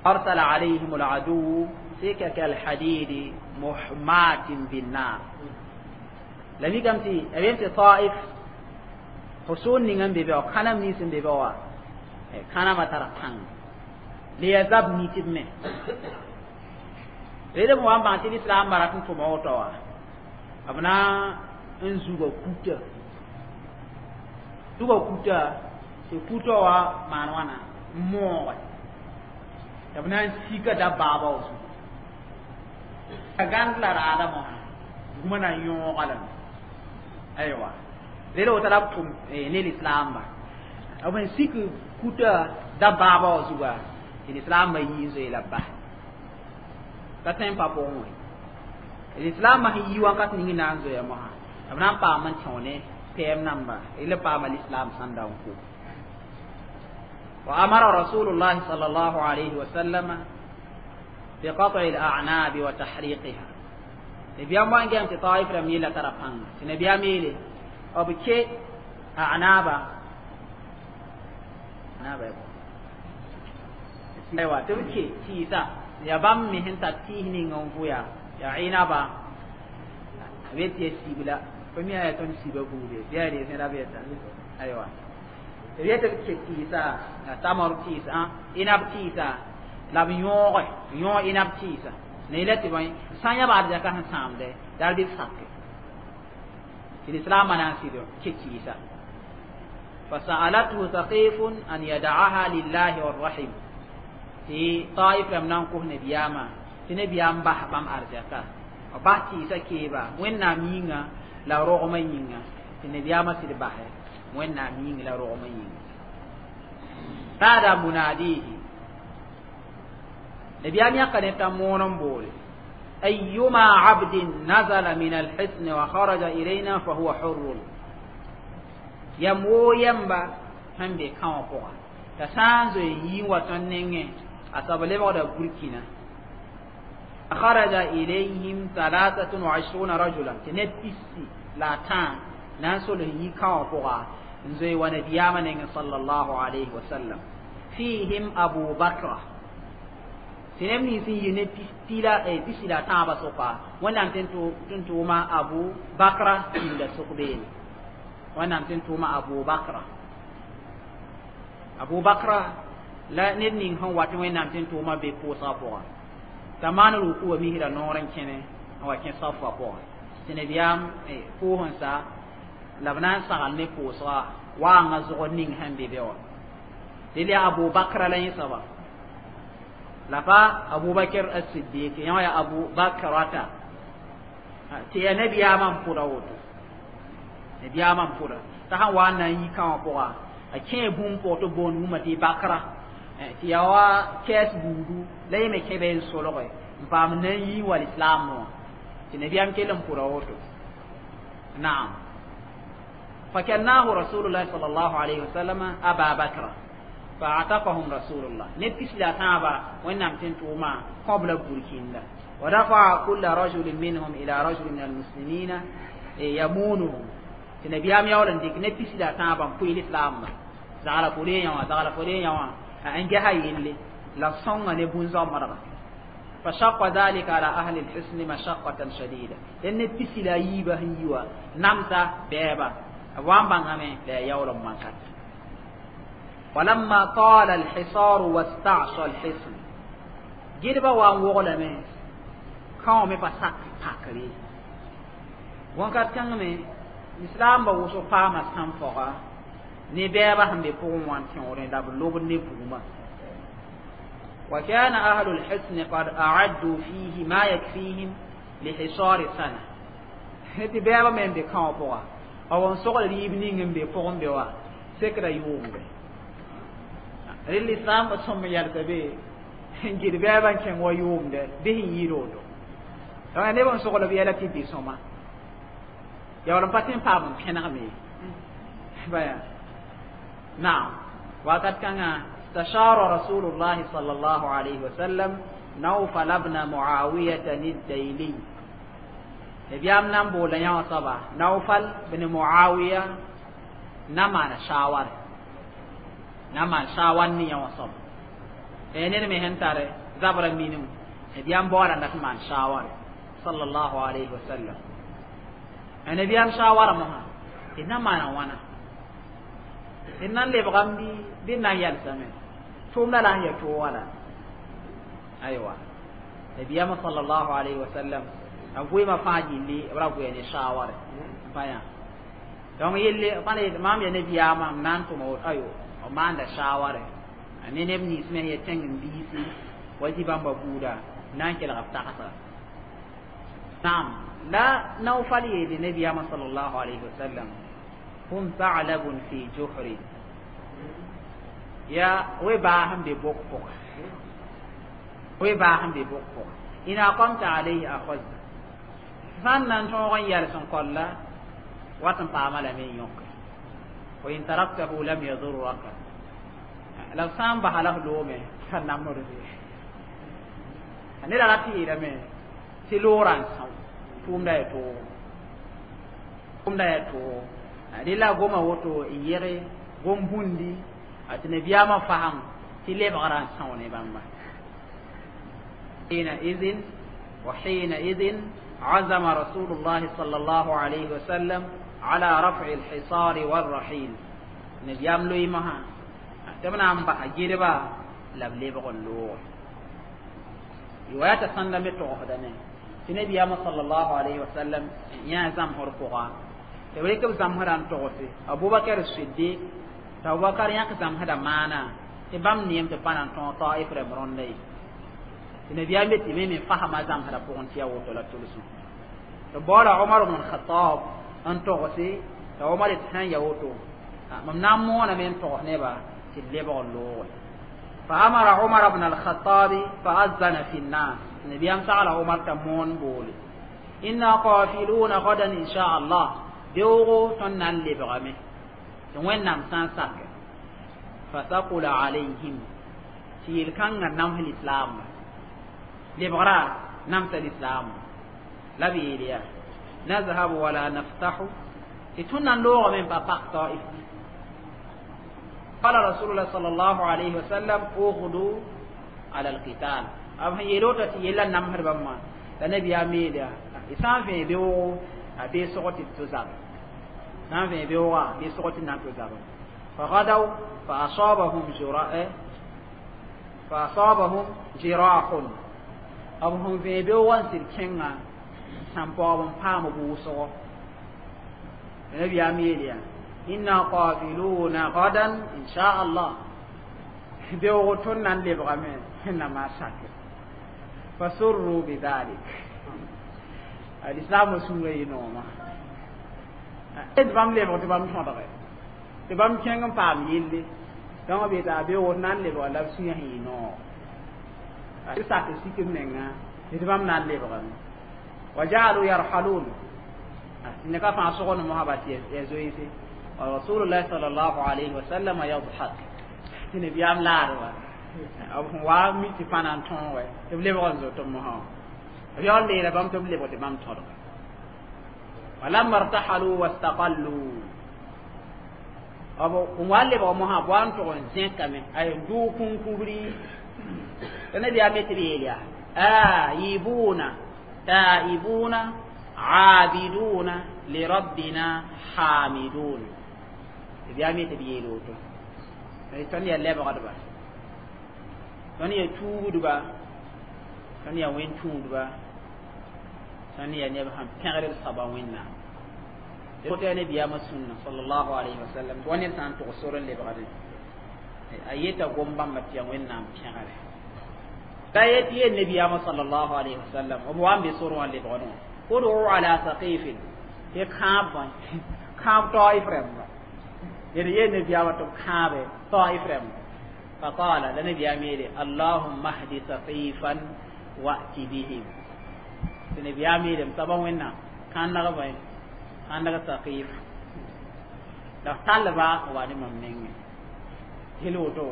أرسل عليهم العدو سكك الحديد محماة بالنار. La mikame tɩ b yem tɩ Taif حصون ning n be be wã kãnem nins n be be wã kãnamã tara pãng le ya zab nitb me rede b wa n bãng tɩ lislaambã rat n tʋma woto wã b na n zuga kuta, zuga kuta tɩ kuta wã maan wãna n mooge tɩ b na n sika dabaaba wã zugu a gãnd la raada mosã guma na n yõoga lame. Aywa, rede woto la b tʋm ne lislaamba b n sik kuta dabaaba wã zuga tɩ lislaambã yii n zoe la b bas ka tõe n pa pʋgẽ wã. Lislaambã sẽn yi wãnkat ning na n zoea mosã b na n paam n tẽo ne pɛɛm namba la paama lislaam sẽn da n ko. وأمر رسول الله صلى الله عليه وسلم بقطع الأعناب وتحريقها. نبيام وان جام طائف لم يلا ترى بان نبيام يلي أو بكي أعنابا أعنابا أيوة تبكي تيسا ya bãmb me sẽn tar tɩɩs ning n vʋya yaa ɩnaba b yet tɩ ya sibla fo mi yaa tõnd siba buude bɩ yaa rees ra beta aywa b yet b ke tɩɩsa la tamar tɩɩsa ɩnab tɩɩsa la b yõoge yõog ɩnab tɩɩsa ne la tɩ bõe sã n yã baad zaka sẽn sãamde dar bɩ b sake tɩ lislaamã na n sɩd ke tɩɩsa. فسألته ثقيف أن يدعها لله والرحم. Tɩ Taif rãmb na n kos nabiyaamã tɩ nabiyaam bas bãmb arzɛka b bas tɩɩsã keeba Wẽnnaam yĩnga la rogmã yĩnga tɩ nabiyaamã sɩd basɛ Wẽnnaam yĩng la rogmã yĩnga. Nada munadihi nabiyaam yãka ne t'a moon n boole: أيما عبد نزل من الحصن وخرج إلينا فهو حر. Yam woo yɛmba sẽn be kãwã pʋga t'a sã n zoe n yii n wa tõnd nengẽ a soab lebgda burkina. خرج إليهم 23 رجلا tɩ neb 23 na n sol n yi kãwã pʋga n zoe wa nabiyaamã nengẽ sallallahu alayhi wa sallam. فيهم أبو بكر tɩ neb nins n yi ne pisi la tãabã sʋka Wẽnnaam tɩ n tʋʋma Abu Bakra tĩnda sʋk beene. Wẽnnaam tɩ n tʋʋma Abu Bakra, Abu Bakra la ned ning sẽn wat Wẽnnaam tɩ n tʋʋma be pʋʋsgã pʋga t'a maan ruku wa misra noor n kẽne n wa kẽ safa pʋga tɩ nabiyaam pʋʋs n sa la b na n sagl ne pʋʋsga waanga zʋgd ning sẽn be be wã. Dẽl yaa Abu Bakra la yẽ soaba la pa Abubakar as-Siddiq yã ya Abu Bakrata tɩ yaa nabiyaamã n pʋda woto nabiyaamã n pʋda t'a sãn wa n na n yi kãwã pʋga a kẽe bũmb pʋg tɩ boond bũmba tɩ bakra tɩ yaa wa kɛɛs buudu la yẽ me kẽ be n solge n paam na n yi wa lislaam wã tɩ nabiyaam kell n pʋda woto. Naam. فكناه رسول الله صلى الله عليه وسلم أبا بكر فاعتقهم رسول الله نبس لا تابا وإنهم تنتوما قبل بركين ودفع كل رجل منهم إلى رجل من المسلمين يمونه. النبي يولن ديك نبس لا تابا في الإسلام زعل فلان زعل فلان أنجها يلي لا صنع نبون زمرة. فشق ذلك على أهل الحسن مشقة شديدة لأن نبس لا يبه يوا نمتا بابا وان بانغامي لا يولن منكت. ولما طال الحصار واستعصى الحصن جربا وان وغلمي كاومي بساك باكري وان كانمي الإسلام بوسو فاما سانفوغا ne bɛɛba sẽn be pʋgẽ wã n tẽoorẽ la b lobd ne bugmã. وكان أهل الحصن قد أعدوا فيه ما يكفيهم لحصار سنة. tɩ bɛɛba me n be kãwã pʋga b n sogl rɩɩb ning n be pʋgẽ be wa sekra yʋʋmbe rel islam ba sõm yalsa be n gɩd bɛɛba n kẽng wa yʋʋmdɛ bɩ sẽn yɩɩd woto. Donc neb n sogl b yɛla tɩ bɩ sõma yaool n pa tɩ n paam n pẽnegme baya. نعم. وقد كان استشار رسول الله صلى الله عليه وسلم نوفل بن معاوية الديلي نبيام نام بولا يا صبا نوفل بن معاوية نما شاور نما شاور ني يا صبا انين مهن تare zabra minum نبيام بورا نك مان شاور صلى الله عليه وسلم نبيام شاور مها إنما أنا وانا إنن lebgam bi bɩ na n yalsame tʋʋmda la n ya toog wala aywa nabiyama sallallahu alayhi wa sallam a goeema fãa gilli b ra goa ne shawar pa yã. Donc yelle fãa maam ya nabiyaamã m na n tʋma woto ayo b maanda shaware ne neb nins me ya tẽng n biisi wa zĩ bãmba buuda na n kelg b tagsa. Naam. La Naufal yeele nabiyama sallallahu alayhi wa sallam هم ثعلب في جحر يا وباهم ببقبق وباهم ببقبق إن أقمت عليه أخذ فنن توغن يالسن قال واتن قامل من يوك وإن تركته لم يضرك لو سام بحاله لومه فنمر به أنا لا تيرمه تلوران سام توم لا يتو توم لا يتو dɩ la goma woto n yɛge gom bũndi a tɩ nabiyaamã fasem tɩ lebgrã n são ne bãmba. حينئذ وحينئذ عزم رسول الله صلى الله عليه وسلم على رفع الحصار والرحيل نبيام لوي مها تمنا أم بحجيربا لبلبغ اللوغ رواية سنة متوحدة نبيام صلى الله عليه وسلم يا زمهر فوقا tɩ b rɩk b zãmsdã n togse Abubakar Siddiq t'a Abubakar yãk zãmsdã maana Tɩ bãmb neem tɩ pa na n tõog Taif rãmb rõnda ye. Tɩ nabiyaam yet tɩ me me fasma zãmsdã pʋgẽ tɩ yaa woto la tʋlsem. Tɩ baoola Omar bn Khatab n togse, t'a Omar yet sã n ya woto, mam na n mooname n togs neba tɩ d lebg n looge. فأمر عمر بن الخطاب فأذن في الناس. نبيام سأل عمر تمون بولي إنا قافلون غدا إن شاء الله، beoogo tõnd na n lebgame tɩ Wẽnnaam sã n sak. فثقل عليهم, tɩ yel-kãngã nams lislaam, lebgra namsa lislaam. La b yeel yaa: نذهب ولا نفتح, tɩ tõnd na n loogame n pa pak Taif. قال رسول الله صلى الله عليه وسلم: اغدوا على القتال. b sẽn yeel woto tɩ yella namsd bãmba. La nabiyaam yeel yaa: y sã n vẽ beoogo, a bee sog tɩ d to zab, sã n vẽ beoogã, bee sog tɩ na n to zab. فغدوا فأصابهم جراح. B sẽn vẽ beoogã n sɩd kẽnga, sãn-paoog n paam wʋsgo. Nabiyaam yeel yaa: إنا قافلون غدا إن شاء الله, beoog tõnd na n lebgame Wẽnnaam sak. فسروا بذلك. Lislaamã sũurã yɩ nooma d bãmb lebg tɩ bãmb tõdge tɩ bãmb kẽng n paam yelle. Donc b yeta beoog na n lebga la b sũyã sẽn yɩ noog sak sik b menga tɩ bãmb na n lebgame. وجعلوا يرحلون, tɩ ka fãa sogd mosã tɩ ya zoeese. ورسول الله صلى الله عليه وسلم يضحك. Tɩ nabiyaam laadba b sẽn wa mi tɩ pa na n tõog tɩ b lebg n zoet mosã, b yaool leela bãmb tɩ b lebg tɩ bãmb tõdg. ولما ارتحلوا واستقلوا, b n wa lebg mosã b wa n tʋg n zẽkame ay dʋʋg kũnkubri. Tɩ nabiyaam yetɩ b yeel yaa: آيبون تائبون عابدون لربنا حامدون. Nabiyaam yetɩ b yeel woto: tõnd yaa lebgdba, tõnd yaa tuugdba, tõnd yaa wẽn tũudba, tõnd yaa neb sẽn pẽgd b soaba Wẽnnaam. Woto yaa nabiyaamã sũnna صلى الله عليه وسلم. Tɩ wa ned sã n tʋg sor n lebgdẽ, a yeta gom bãmba tɩ yaa Wẽnnaam pẽgre. La yet yel nabiyaamã صلى الله عليه وسلم b wa n be sor wã lebgdẽ wã: ادعوا على ثقيف, tɩ kãab bõe, kãab Taif rãmba. D yel nabiyaamã tɩ b kãabe Taif rãmba. فقال, la nabiyaam yeele: اللهم اهد ثقيفا وأت بهم. Tɩ nabiyaam yeele: m soaba Wẽnnaam, kãndg bõe, kãndg Saqif la f tallba n wa ne mam nengẽ. Yel woto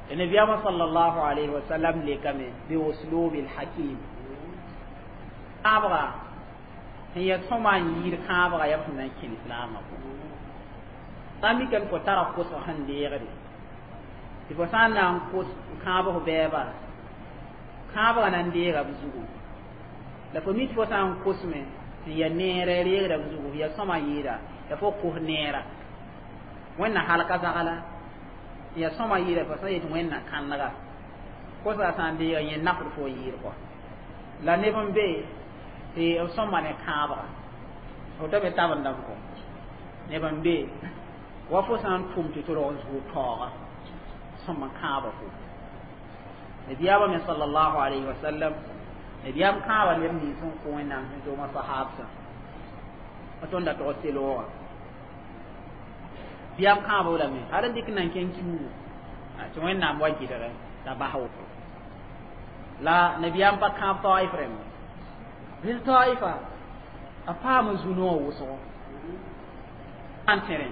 nabiyaamã صلى الله عليه وسلم lekame بأسلوب الحكيم. Kãabga sẽn ya sõma n yiid kãabga yaa b sẽn na n kẽ lislaamã pʋgẽ. Sã n mikame fo tara kosg sẽn deegde, tɩ fo sã n na n kos kãabg bɛɛba, kãabga na n deega b zugu. La fo mi tɩ fo sã n kosme sẽn ya neerã reegda b zugu, ya sõma yɩɩda la fo kos neera Wẽnna halka zagla ya sõma yɩɩda. Fo sã yet Wẽnna kãndga kosga sã n deega yẽ nafd fo yɩɩd kɔ. La neb n be tɩ b sõma ne kãabga, fo ta be tabendame kɔ. Neb n be wa fo sã n tʋm tɩ tɩ rog n zʋʋg taooga sõma kãabã fo. Nabiyaamã me صلى الله عليه وسلم, nabiyaam kãaba neb nins n kõ Wẽnnaam sẽn tʋʋma sahaabsã tõnd da tog selooga. Biyaam kãaba lame hal n dɩk nan kẽng kiuugu tɩ Wẽnnaam wa gɩdgɛ t'a bas woto. La nabiyaam pa kãab Taif rẽmba rel. Taifa a paama zu-noog wʋsgo n tẽrẽ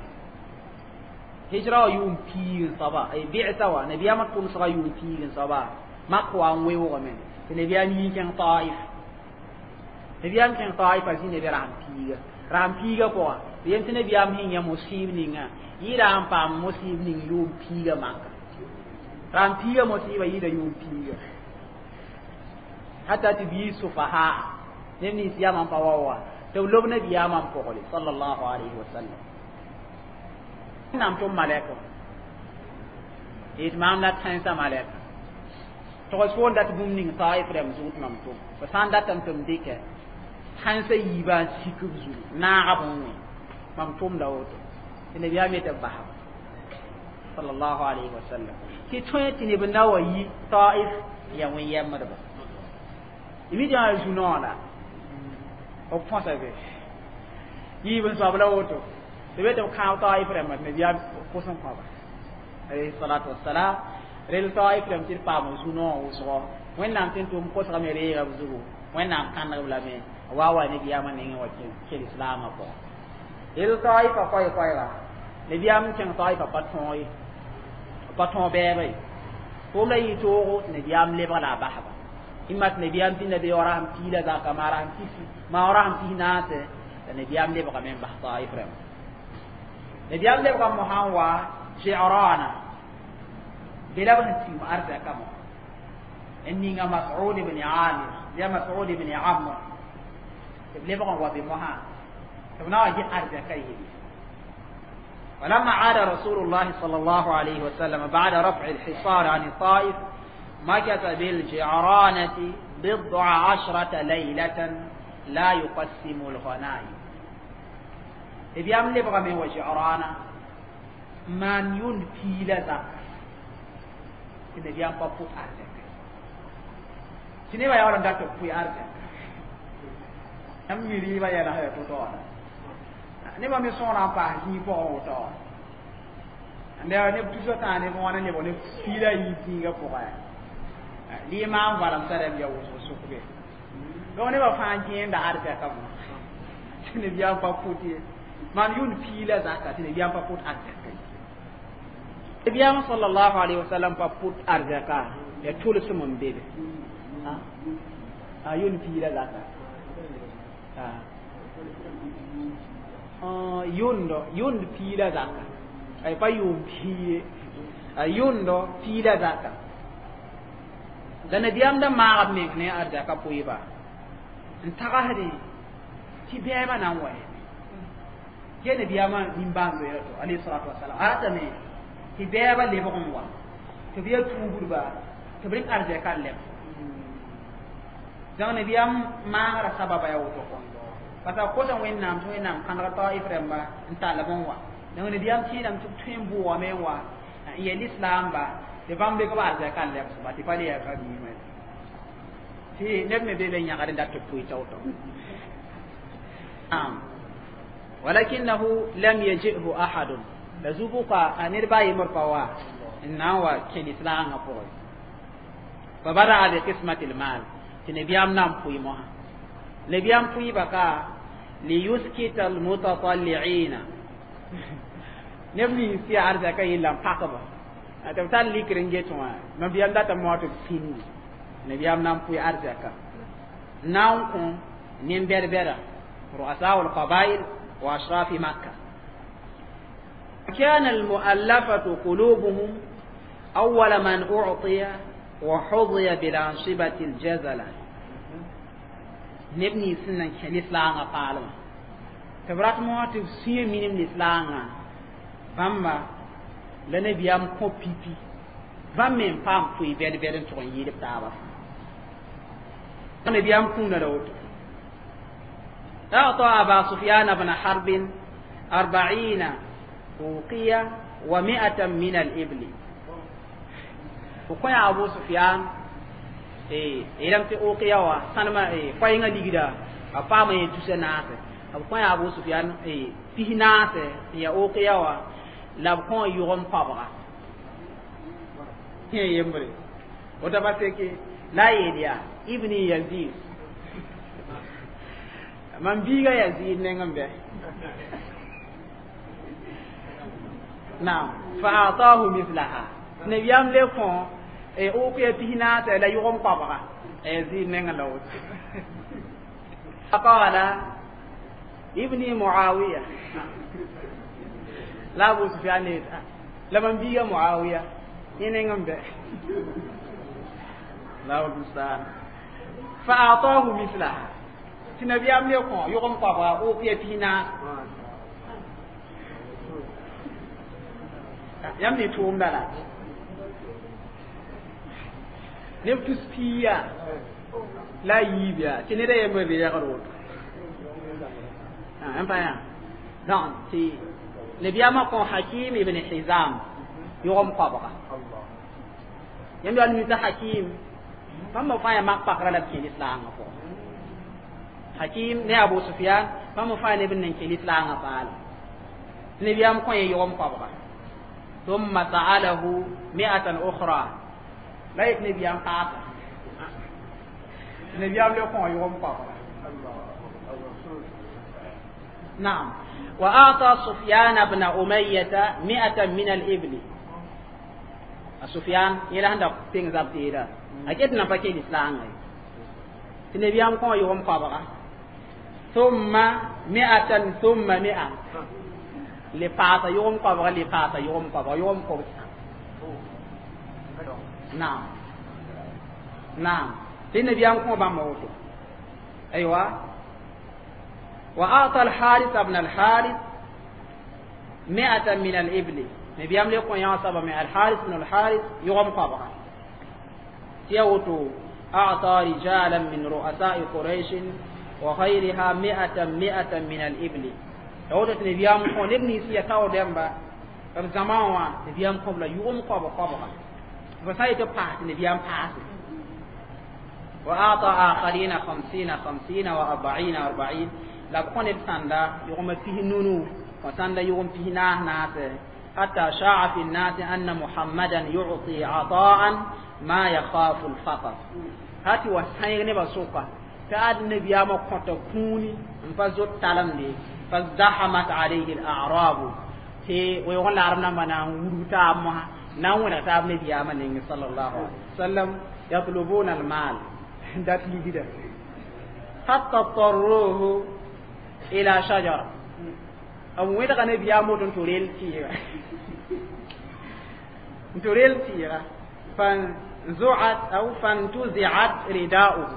hijra wa yʋʋm piig n soaba bɩsa wa nabiyaamã tʋmsga yʋʋm piig n soaba mak wa n weoogame tɩ nabiyaam yii kẽng Taif. Nabiyaam kẽng Taif a zĩ neb rasem piiga, rasem piiga pʋga tɩ yem tɩ nabiyaam sẽn yã mosiib ninga yɩɩda n paam mosiib ning yʋʋm piiga maka. Rasem piiga mosiiba yɩɩda yʋʋm piiga hata tɩ bii sufaha neb nins yamã n pa wa wa tɩ b lob nabiyaamã n pʋgre صلى الله عليه وسلم. Wẽnnaam tʋm malɛka yet maam la tãensã malɛka togs fo n dat bũmb ning Taif rãmb zug tɩ mam tʋm. Fo sã n datame tɩ m dɩkɛ tãnsã yiibã n sik b zugu naagb n wẽ, mam tʋmda woto. Tɩ nabiyaam yetɩ b basba. Sallallahu alaihi wasallam tɩ tõe tɩ neb na wa yi Taif ya wẽn-yɛmbdba mi tɩ zu-noog la b põsa be yiib n soab la woto tɩ be tɩ b kãab Taif rãmbã tɩ nabiyaam pʋs n kõba alayhi salatu wassalam rel Taif rãmb tɩ d paam zu-noog wʋsgo Wẽnnaam tɩ n tʋm kosgame reega b zugu Wẽnnaam kãneg b lame wa nabiyaamã nengẽ wa kel islaamã pʋgẽ rel Taifa koɛ-koɛɛga nabiyaam n kẽng Taifa pa tõog ye pa tõog bɛɛba ye tʋʋmda yɩ toogo tɩ nabiyaam lebg la a basba ĩmma tɩ nabiyaam pĩnda be rasem piila zaka maa rasem tis maa rasem pis naase la nabiyaam lebgame n bas Taif rãmba nabiyaam lebga mosã n wa Ji'rana be la b sẽn tium arzɛka mo n ninga Mas'ud ibn Amir ya Mas'ud ibn Amr tɩ b lebg n wa be mosã tɩ b na wa ges arzɛka yelle. ولما عاد رسول الله صلى الله عليه وسلم بعد رفع الحصار عن الطائف مكث بالجعرانة 19 ليلة لا يقسم الغنائم. إبيام لبغى من وجعرانة من ينفي لذا إبيام بابوت أرزك سنبا يولا دكتور في أرزك أم يريبا يلا هيا تطور nebã me sõora n paas zĩig pʋgẽ woto neb tusã tãa neb wãna neb neb piila yiib zĩigã pʋgẽ lɩɩ maam valem t'a rãmb ya wʋsg sʋkbe donc nebã fãa gẽenda arzɛka mo tɩ nabiyaam pa pʋt ye maan yʋnd piila zaka tɩ nabiyaam pa pʋt arzɛka nabiyaam sallallahu alaihi wasallam pa pʋt arzɛka ya tʋlsem n be be a yʋnd piila zaka yʋndo yʋnd piila zaka ay pa yʋʋm pii ye a yʋndo piila zaka la nabiyaam da maag b meng ne arzɛka pʋɩba n tagsdẽ tɩ bɛɛbã na n wa ge nabiyaamã nimbãan-zoeera to alayhi salatu wasalam a ratame tɩ bɛɛbã lebg n wa tɩ b ya tuubdba tɩ b rɩk arzɛka n leb donc nabiyaam maagrã sababa ya woto kɔ parce que kosa Wẽnnaam tɩ Wẽnnaam kãneg Taif rãmba n tall b n wa donc nabiyaam kɩɩdame tɩ b tõe n bʋʋgame n wa n yel islaamba tɩ bãmb rɩk b arzɛka n lebsba tɩ pa le yaa ka biimã tɩ neb me be be yãgd n dat tɩ pʋɩ tao-tao. ولكنه لم يجئه أحد la zubuka a ned ba yembr pa wa n na n wa kẽ lislaangã pʋgẽ فبدأ بقسمة المال tɩ nabiyaam na n pʋɩ mosã nabiyaam pʋɩba ka ليسكت المتطلعين neb nins tɩ yaa arzɛka yella n pakba tɩ b tar likr n get wã nabiyaam data moa tɩ b sĩndi nabiyaam na n pʋɩ arzɛka na n kõ nin-bɛd-bɛda رؤساء القبائل وأشراف مكة. كان المؤلفة قلوبهم أول من أعطي وحظي بالأنصبة الجزلة neb nins sẽn nan kẽ lislaangã paalmã tɩ b rat moosã tɩ b sũyã minim lislaangã bãmba la nabiyaam kõ pipi bãmb me n paam pʋɩ bɛd-bɛd n tʋg n yɩɩd b taabã nabiyaam kũuna la woto. أعطى أبا سفيان بن حرب 40 أوقية و100 من الإبل. وكوين أبو سفيان إيه إلم تي أوقية وسنما إيه كوين ليغدا أفهم يتوسع ناس أبو أبو سفيان إيه فيه ناس يا أوقية و la b kõ yʋgem koabga yembre woto pa seke la yeel yaa ibni Yazid mam biiga Yazid neng n bɛ naam فأعطاه مثلها nabiyam le kõ ukiya pis naase la yʋgem koabga Yazid neng la woto. قال ابني معاوية la Abu Sufyan la mam biiga Muawiya yẽ n bɛ la musta'an فأعطاه مثلها tɩ nabiyam le kõ yʋgem koabga ukiya pis naase yãmb ne tʋʋmda la neb tus piiya la yiib yaa tɩ neda yembr reegd woto n pa yã donc tɩ nabiyamã kõ Hakim ibn Hizam Yʋgem koabga yãmb yaa nuita Hakim bãmb fãa yaa mak pakra la b kẽ lislaangã pʋgẽ. Hakim ne Abu Sufyan, bãmb fãa neb n nan kẽ lislaangã paala. Nebiyaam kõ yẽ yʋgem koabga. ثم سأله 100 أخرى la yet nebiyaam paasa, nebiyaam le kõ yʋgem koabga. نعم، وأعطى سفيان بن أمية 100 من الإبل. سفيان يلا عندك تين زابتيرا أكيد نبكي الإسلام تنبيام كون يوم قبرا. ثم 100 ثم 100 لباتا يوم قبرا، لباتا يوم قبرا، يوم قبرا. نعم نعم، تنبيام كون باموتو. أيوة، وأعطى الحارث ابن الحارث 100 من الإبل. نبيام ليكون يعصب من الحارث بن الحارث يغم قبرا. تيوتو أعطى رجالا من رؤساء قريش وغيرها 100 100 من الإبل. يوتو نبيام كون ابن سيكاو ديمبا زمان نبيام قبل يغم قبر قبرا فسايت باس نبيام باس. وأعطى آخرين 50 50 و40 40. La b kõ neb sãnda yʋgmã pis nunu wa sãnda yʋgm pis naas naase. حتى شاع في الناس أن محمدا يعطي عطاء ما يخاف الفقر. هاتي وسائر نبا سوكا تاد النبي ما كنت كوني فزوت تالم فازدحمت عليه الأعراب تي ويقول العرب نما ورتا ما ناونا تاب النبي ما صلى الله عليه وسلم يطلبون المال دات لي حتى اضطروه إلى شجرة. أو وين غني بيامو توريل تيرا توريل تيرا فانزعت أو فانتزعت رداؤه.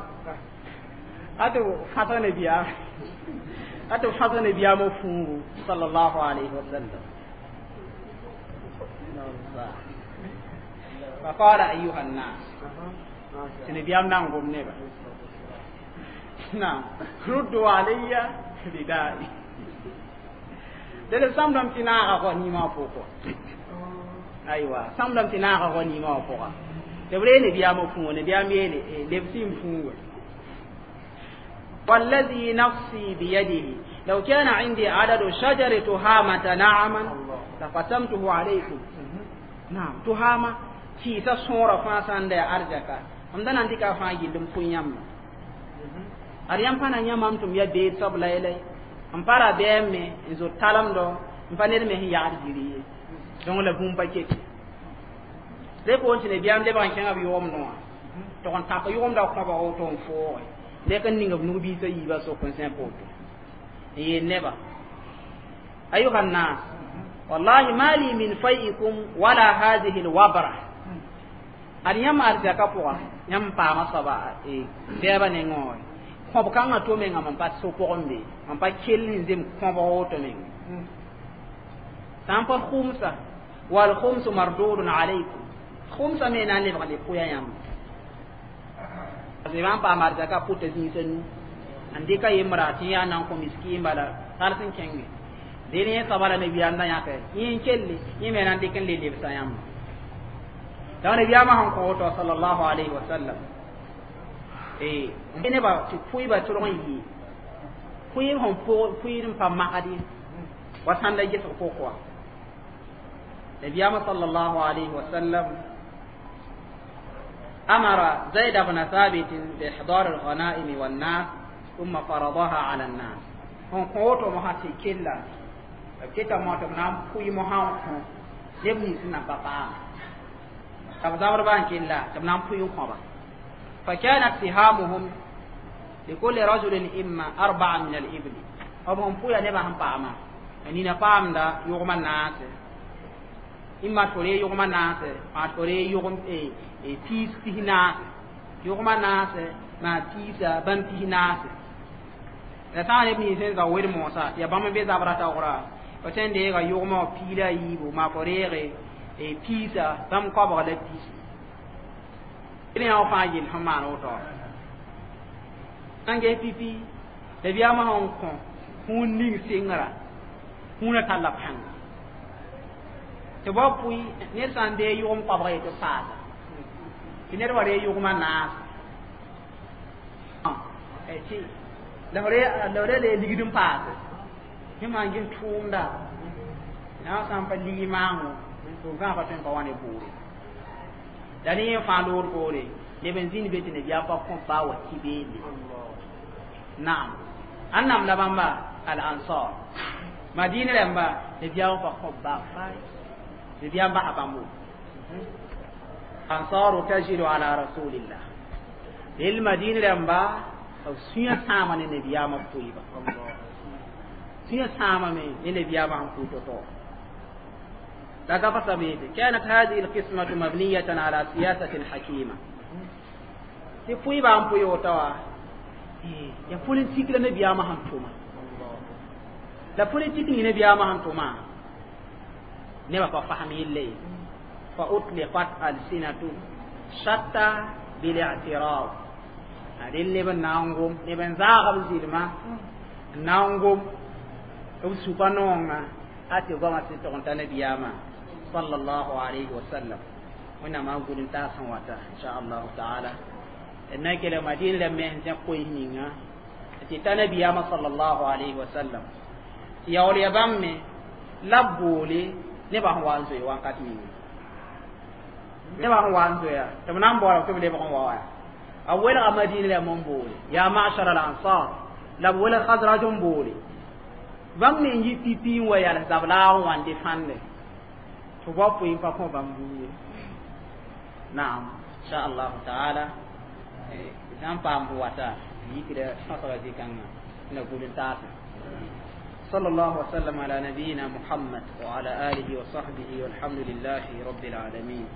أتو حسن بيا أتو حسن بيامو فونغو صلى الله عليه وسلم. فقال أيها الناس سنبيام نانغوم نبا نعم ردوا علي ردائي. دل سامدam tinaaga ko ni ma foko. Aywa, samdam tinaaga ko ni ma foko. Debre ne biya mo fungo ne biya mele lebsim fungo. والذي نفسي بيده لو كان عندي عدد شجر تهامة نعما لقسمته عليكم. نعم تهامة كيسا صورة فاسان دا أرجكا أمدنا عندك فاجل فنيام أريام فانا نيام تم يا بيت سب لايلاي am para beme nzo talamdo mpanel me ya arjiri donc la bum paquet le ko wontine biam le ban kenga bi yom no to kon ta ko yom da ko ba o ton fo le kan ninga nu bi so yiba so kon sen poto e neba ayuha nas wallahi mali min faikum wala hadhihi alwabra ariyam arjaka po nyam pa ma saba e beba ne ngoy kõb kãngã to menga mam pa so pʋgẽ be mam pa kell n zem kõbg woto meng sã n pa khumsa wal khumsu mardudun alaykum khumsa me na n lebg le pʋya yãmb b n paam arzaka pʋta zĩisã nu n dɩka yembra tɩ yaa nan kõ miskiin bala tar sẽn kẽnge dẽn yẽ soaba la nabiyaam da yãke yẽ n kelle yẽ me na n dɩk n le lebsa yãmba donc nabiyaamã sẽn kõ woto sallallahu alayhi wa sallam neba tɩ pʋɩba tʋlg n yɩ pʋɩɩb sẽn pʋɩɩd n pa magd ye wa sãnda gesg pʋk wa nabiyaamã sallallahu alayhi wa sallam أمر زيد بن ثابت بإحضار الغنائم والناس ثم فرضها على الناس. هم قوتو مهاتي كلا كتا موتو نام پوي مهاو لبني سنة بابا تبزابر بان كلا تبنام پوي مهاو فكانت سهامهم لكل رجل إما 4 من الإبل. هم پوي نبا هم باما نينا پام دا يغم الناس إما توري يغم الناس ما توري يغم تيس تهناس يغم الناس ما تيس بان تهناس la sã n neb sẽn za wer moosã tɩ yaa bãmb n be zabra taoora f sẽn deega yʋgmã wã piila yiibu maa fo reege piisa bãmb koabg la piis d yã fãa yell sẽn maan woto sãn ges pipi la biyaamã sẽn kõ kũun ning sengra kũunã talla pãnga Tɩ ba pʋɩ ned sã n dee yʋgem koabg ye tɩ paasa tɩ ned wa ree yʋgmã naas tɩ la b ra lee ligd n paase yẽ maan ges tʋʋmda na sã n pa ligi maango tɩ b gãagã tõe n pa wa ne bʋʋre la ne yẽ fãa loor poore neb n zĩnd be tɩ nabiyaam pa kõ baa wa ki beende. Naam, ãnnam la bãmba al ansar madina rãmba nabiyaam pa kõ baa fay nabiyaam basa bãmbo ansaru tajidu ala rasulillah lel madina rãmba b sũyã sãama ne nabiyaamã pʋɩba sũyã sãamame ne nabiyaamã sẽn pʋɩ to-to. La سبيل كانت هذه القسمة مبنية على سياسة حكيمة tɩ pʋɩba n pʋɩ woto wa ya politik la nabiyaamã sẽn tʋma la politik ning nabiyaamã sẽn tʋma nebã pa fasem yelle ye fa utliqat alsinatu shatta bil'tirab adel neb n na n gom neb n zaag b zɩlma n na n gom b suka noongã a tɩ goamã sɩd tʋg n ta nabiyaamã sallallahu alayhi wa sallam. Wẽnnaam a gʋl n taas sẽn wata inchallahu taala d na n kelg madin la me sẽn zẽk koees ninga tɩ ta nabiyaamã sallallahu alayhi wa sallam tɩ yaool ya bãmb me la b boole nebã sẽn wa n zoe wãnkat ninga nebã sẽn wa n zoeya tɩ b na n baoolame tɩ b lebg n wa wa a welga madina la n boole ya ma'shar al ansar la b welg khazraj n boole bãmb me n yi pipi n wa yals zab-laag n wa n defãnde tɩ ba pʋɩ n pa kõ bãmb buud ye. Naam, insha allahu taala sã n paam f wata yikda sõsga zĩ-kãngã la gʋl n taase. صلى الله وسلم على نبينا محمد وعلى آله وصحبه والحمد لله رب العالمين.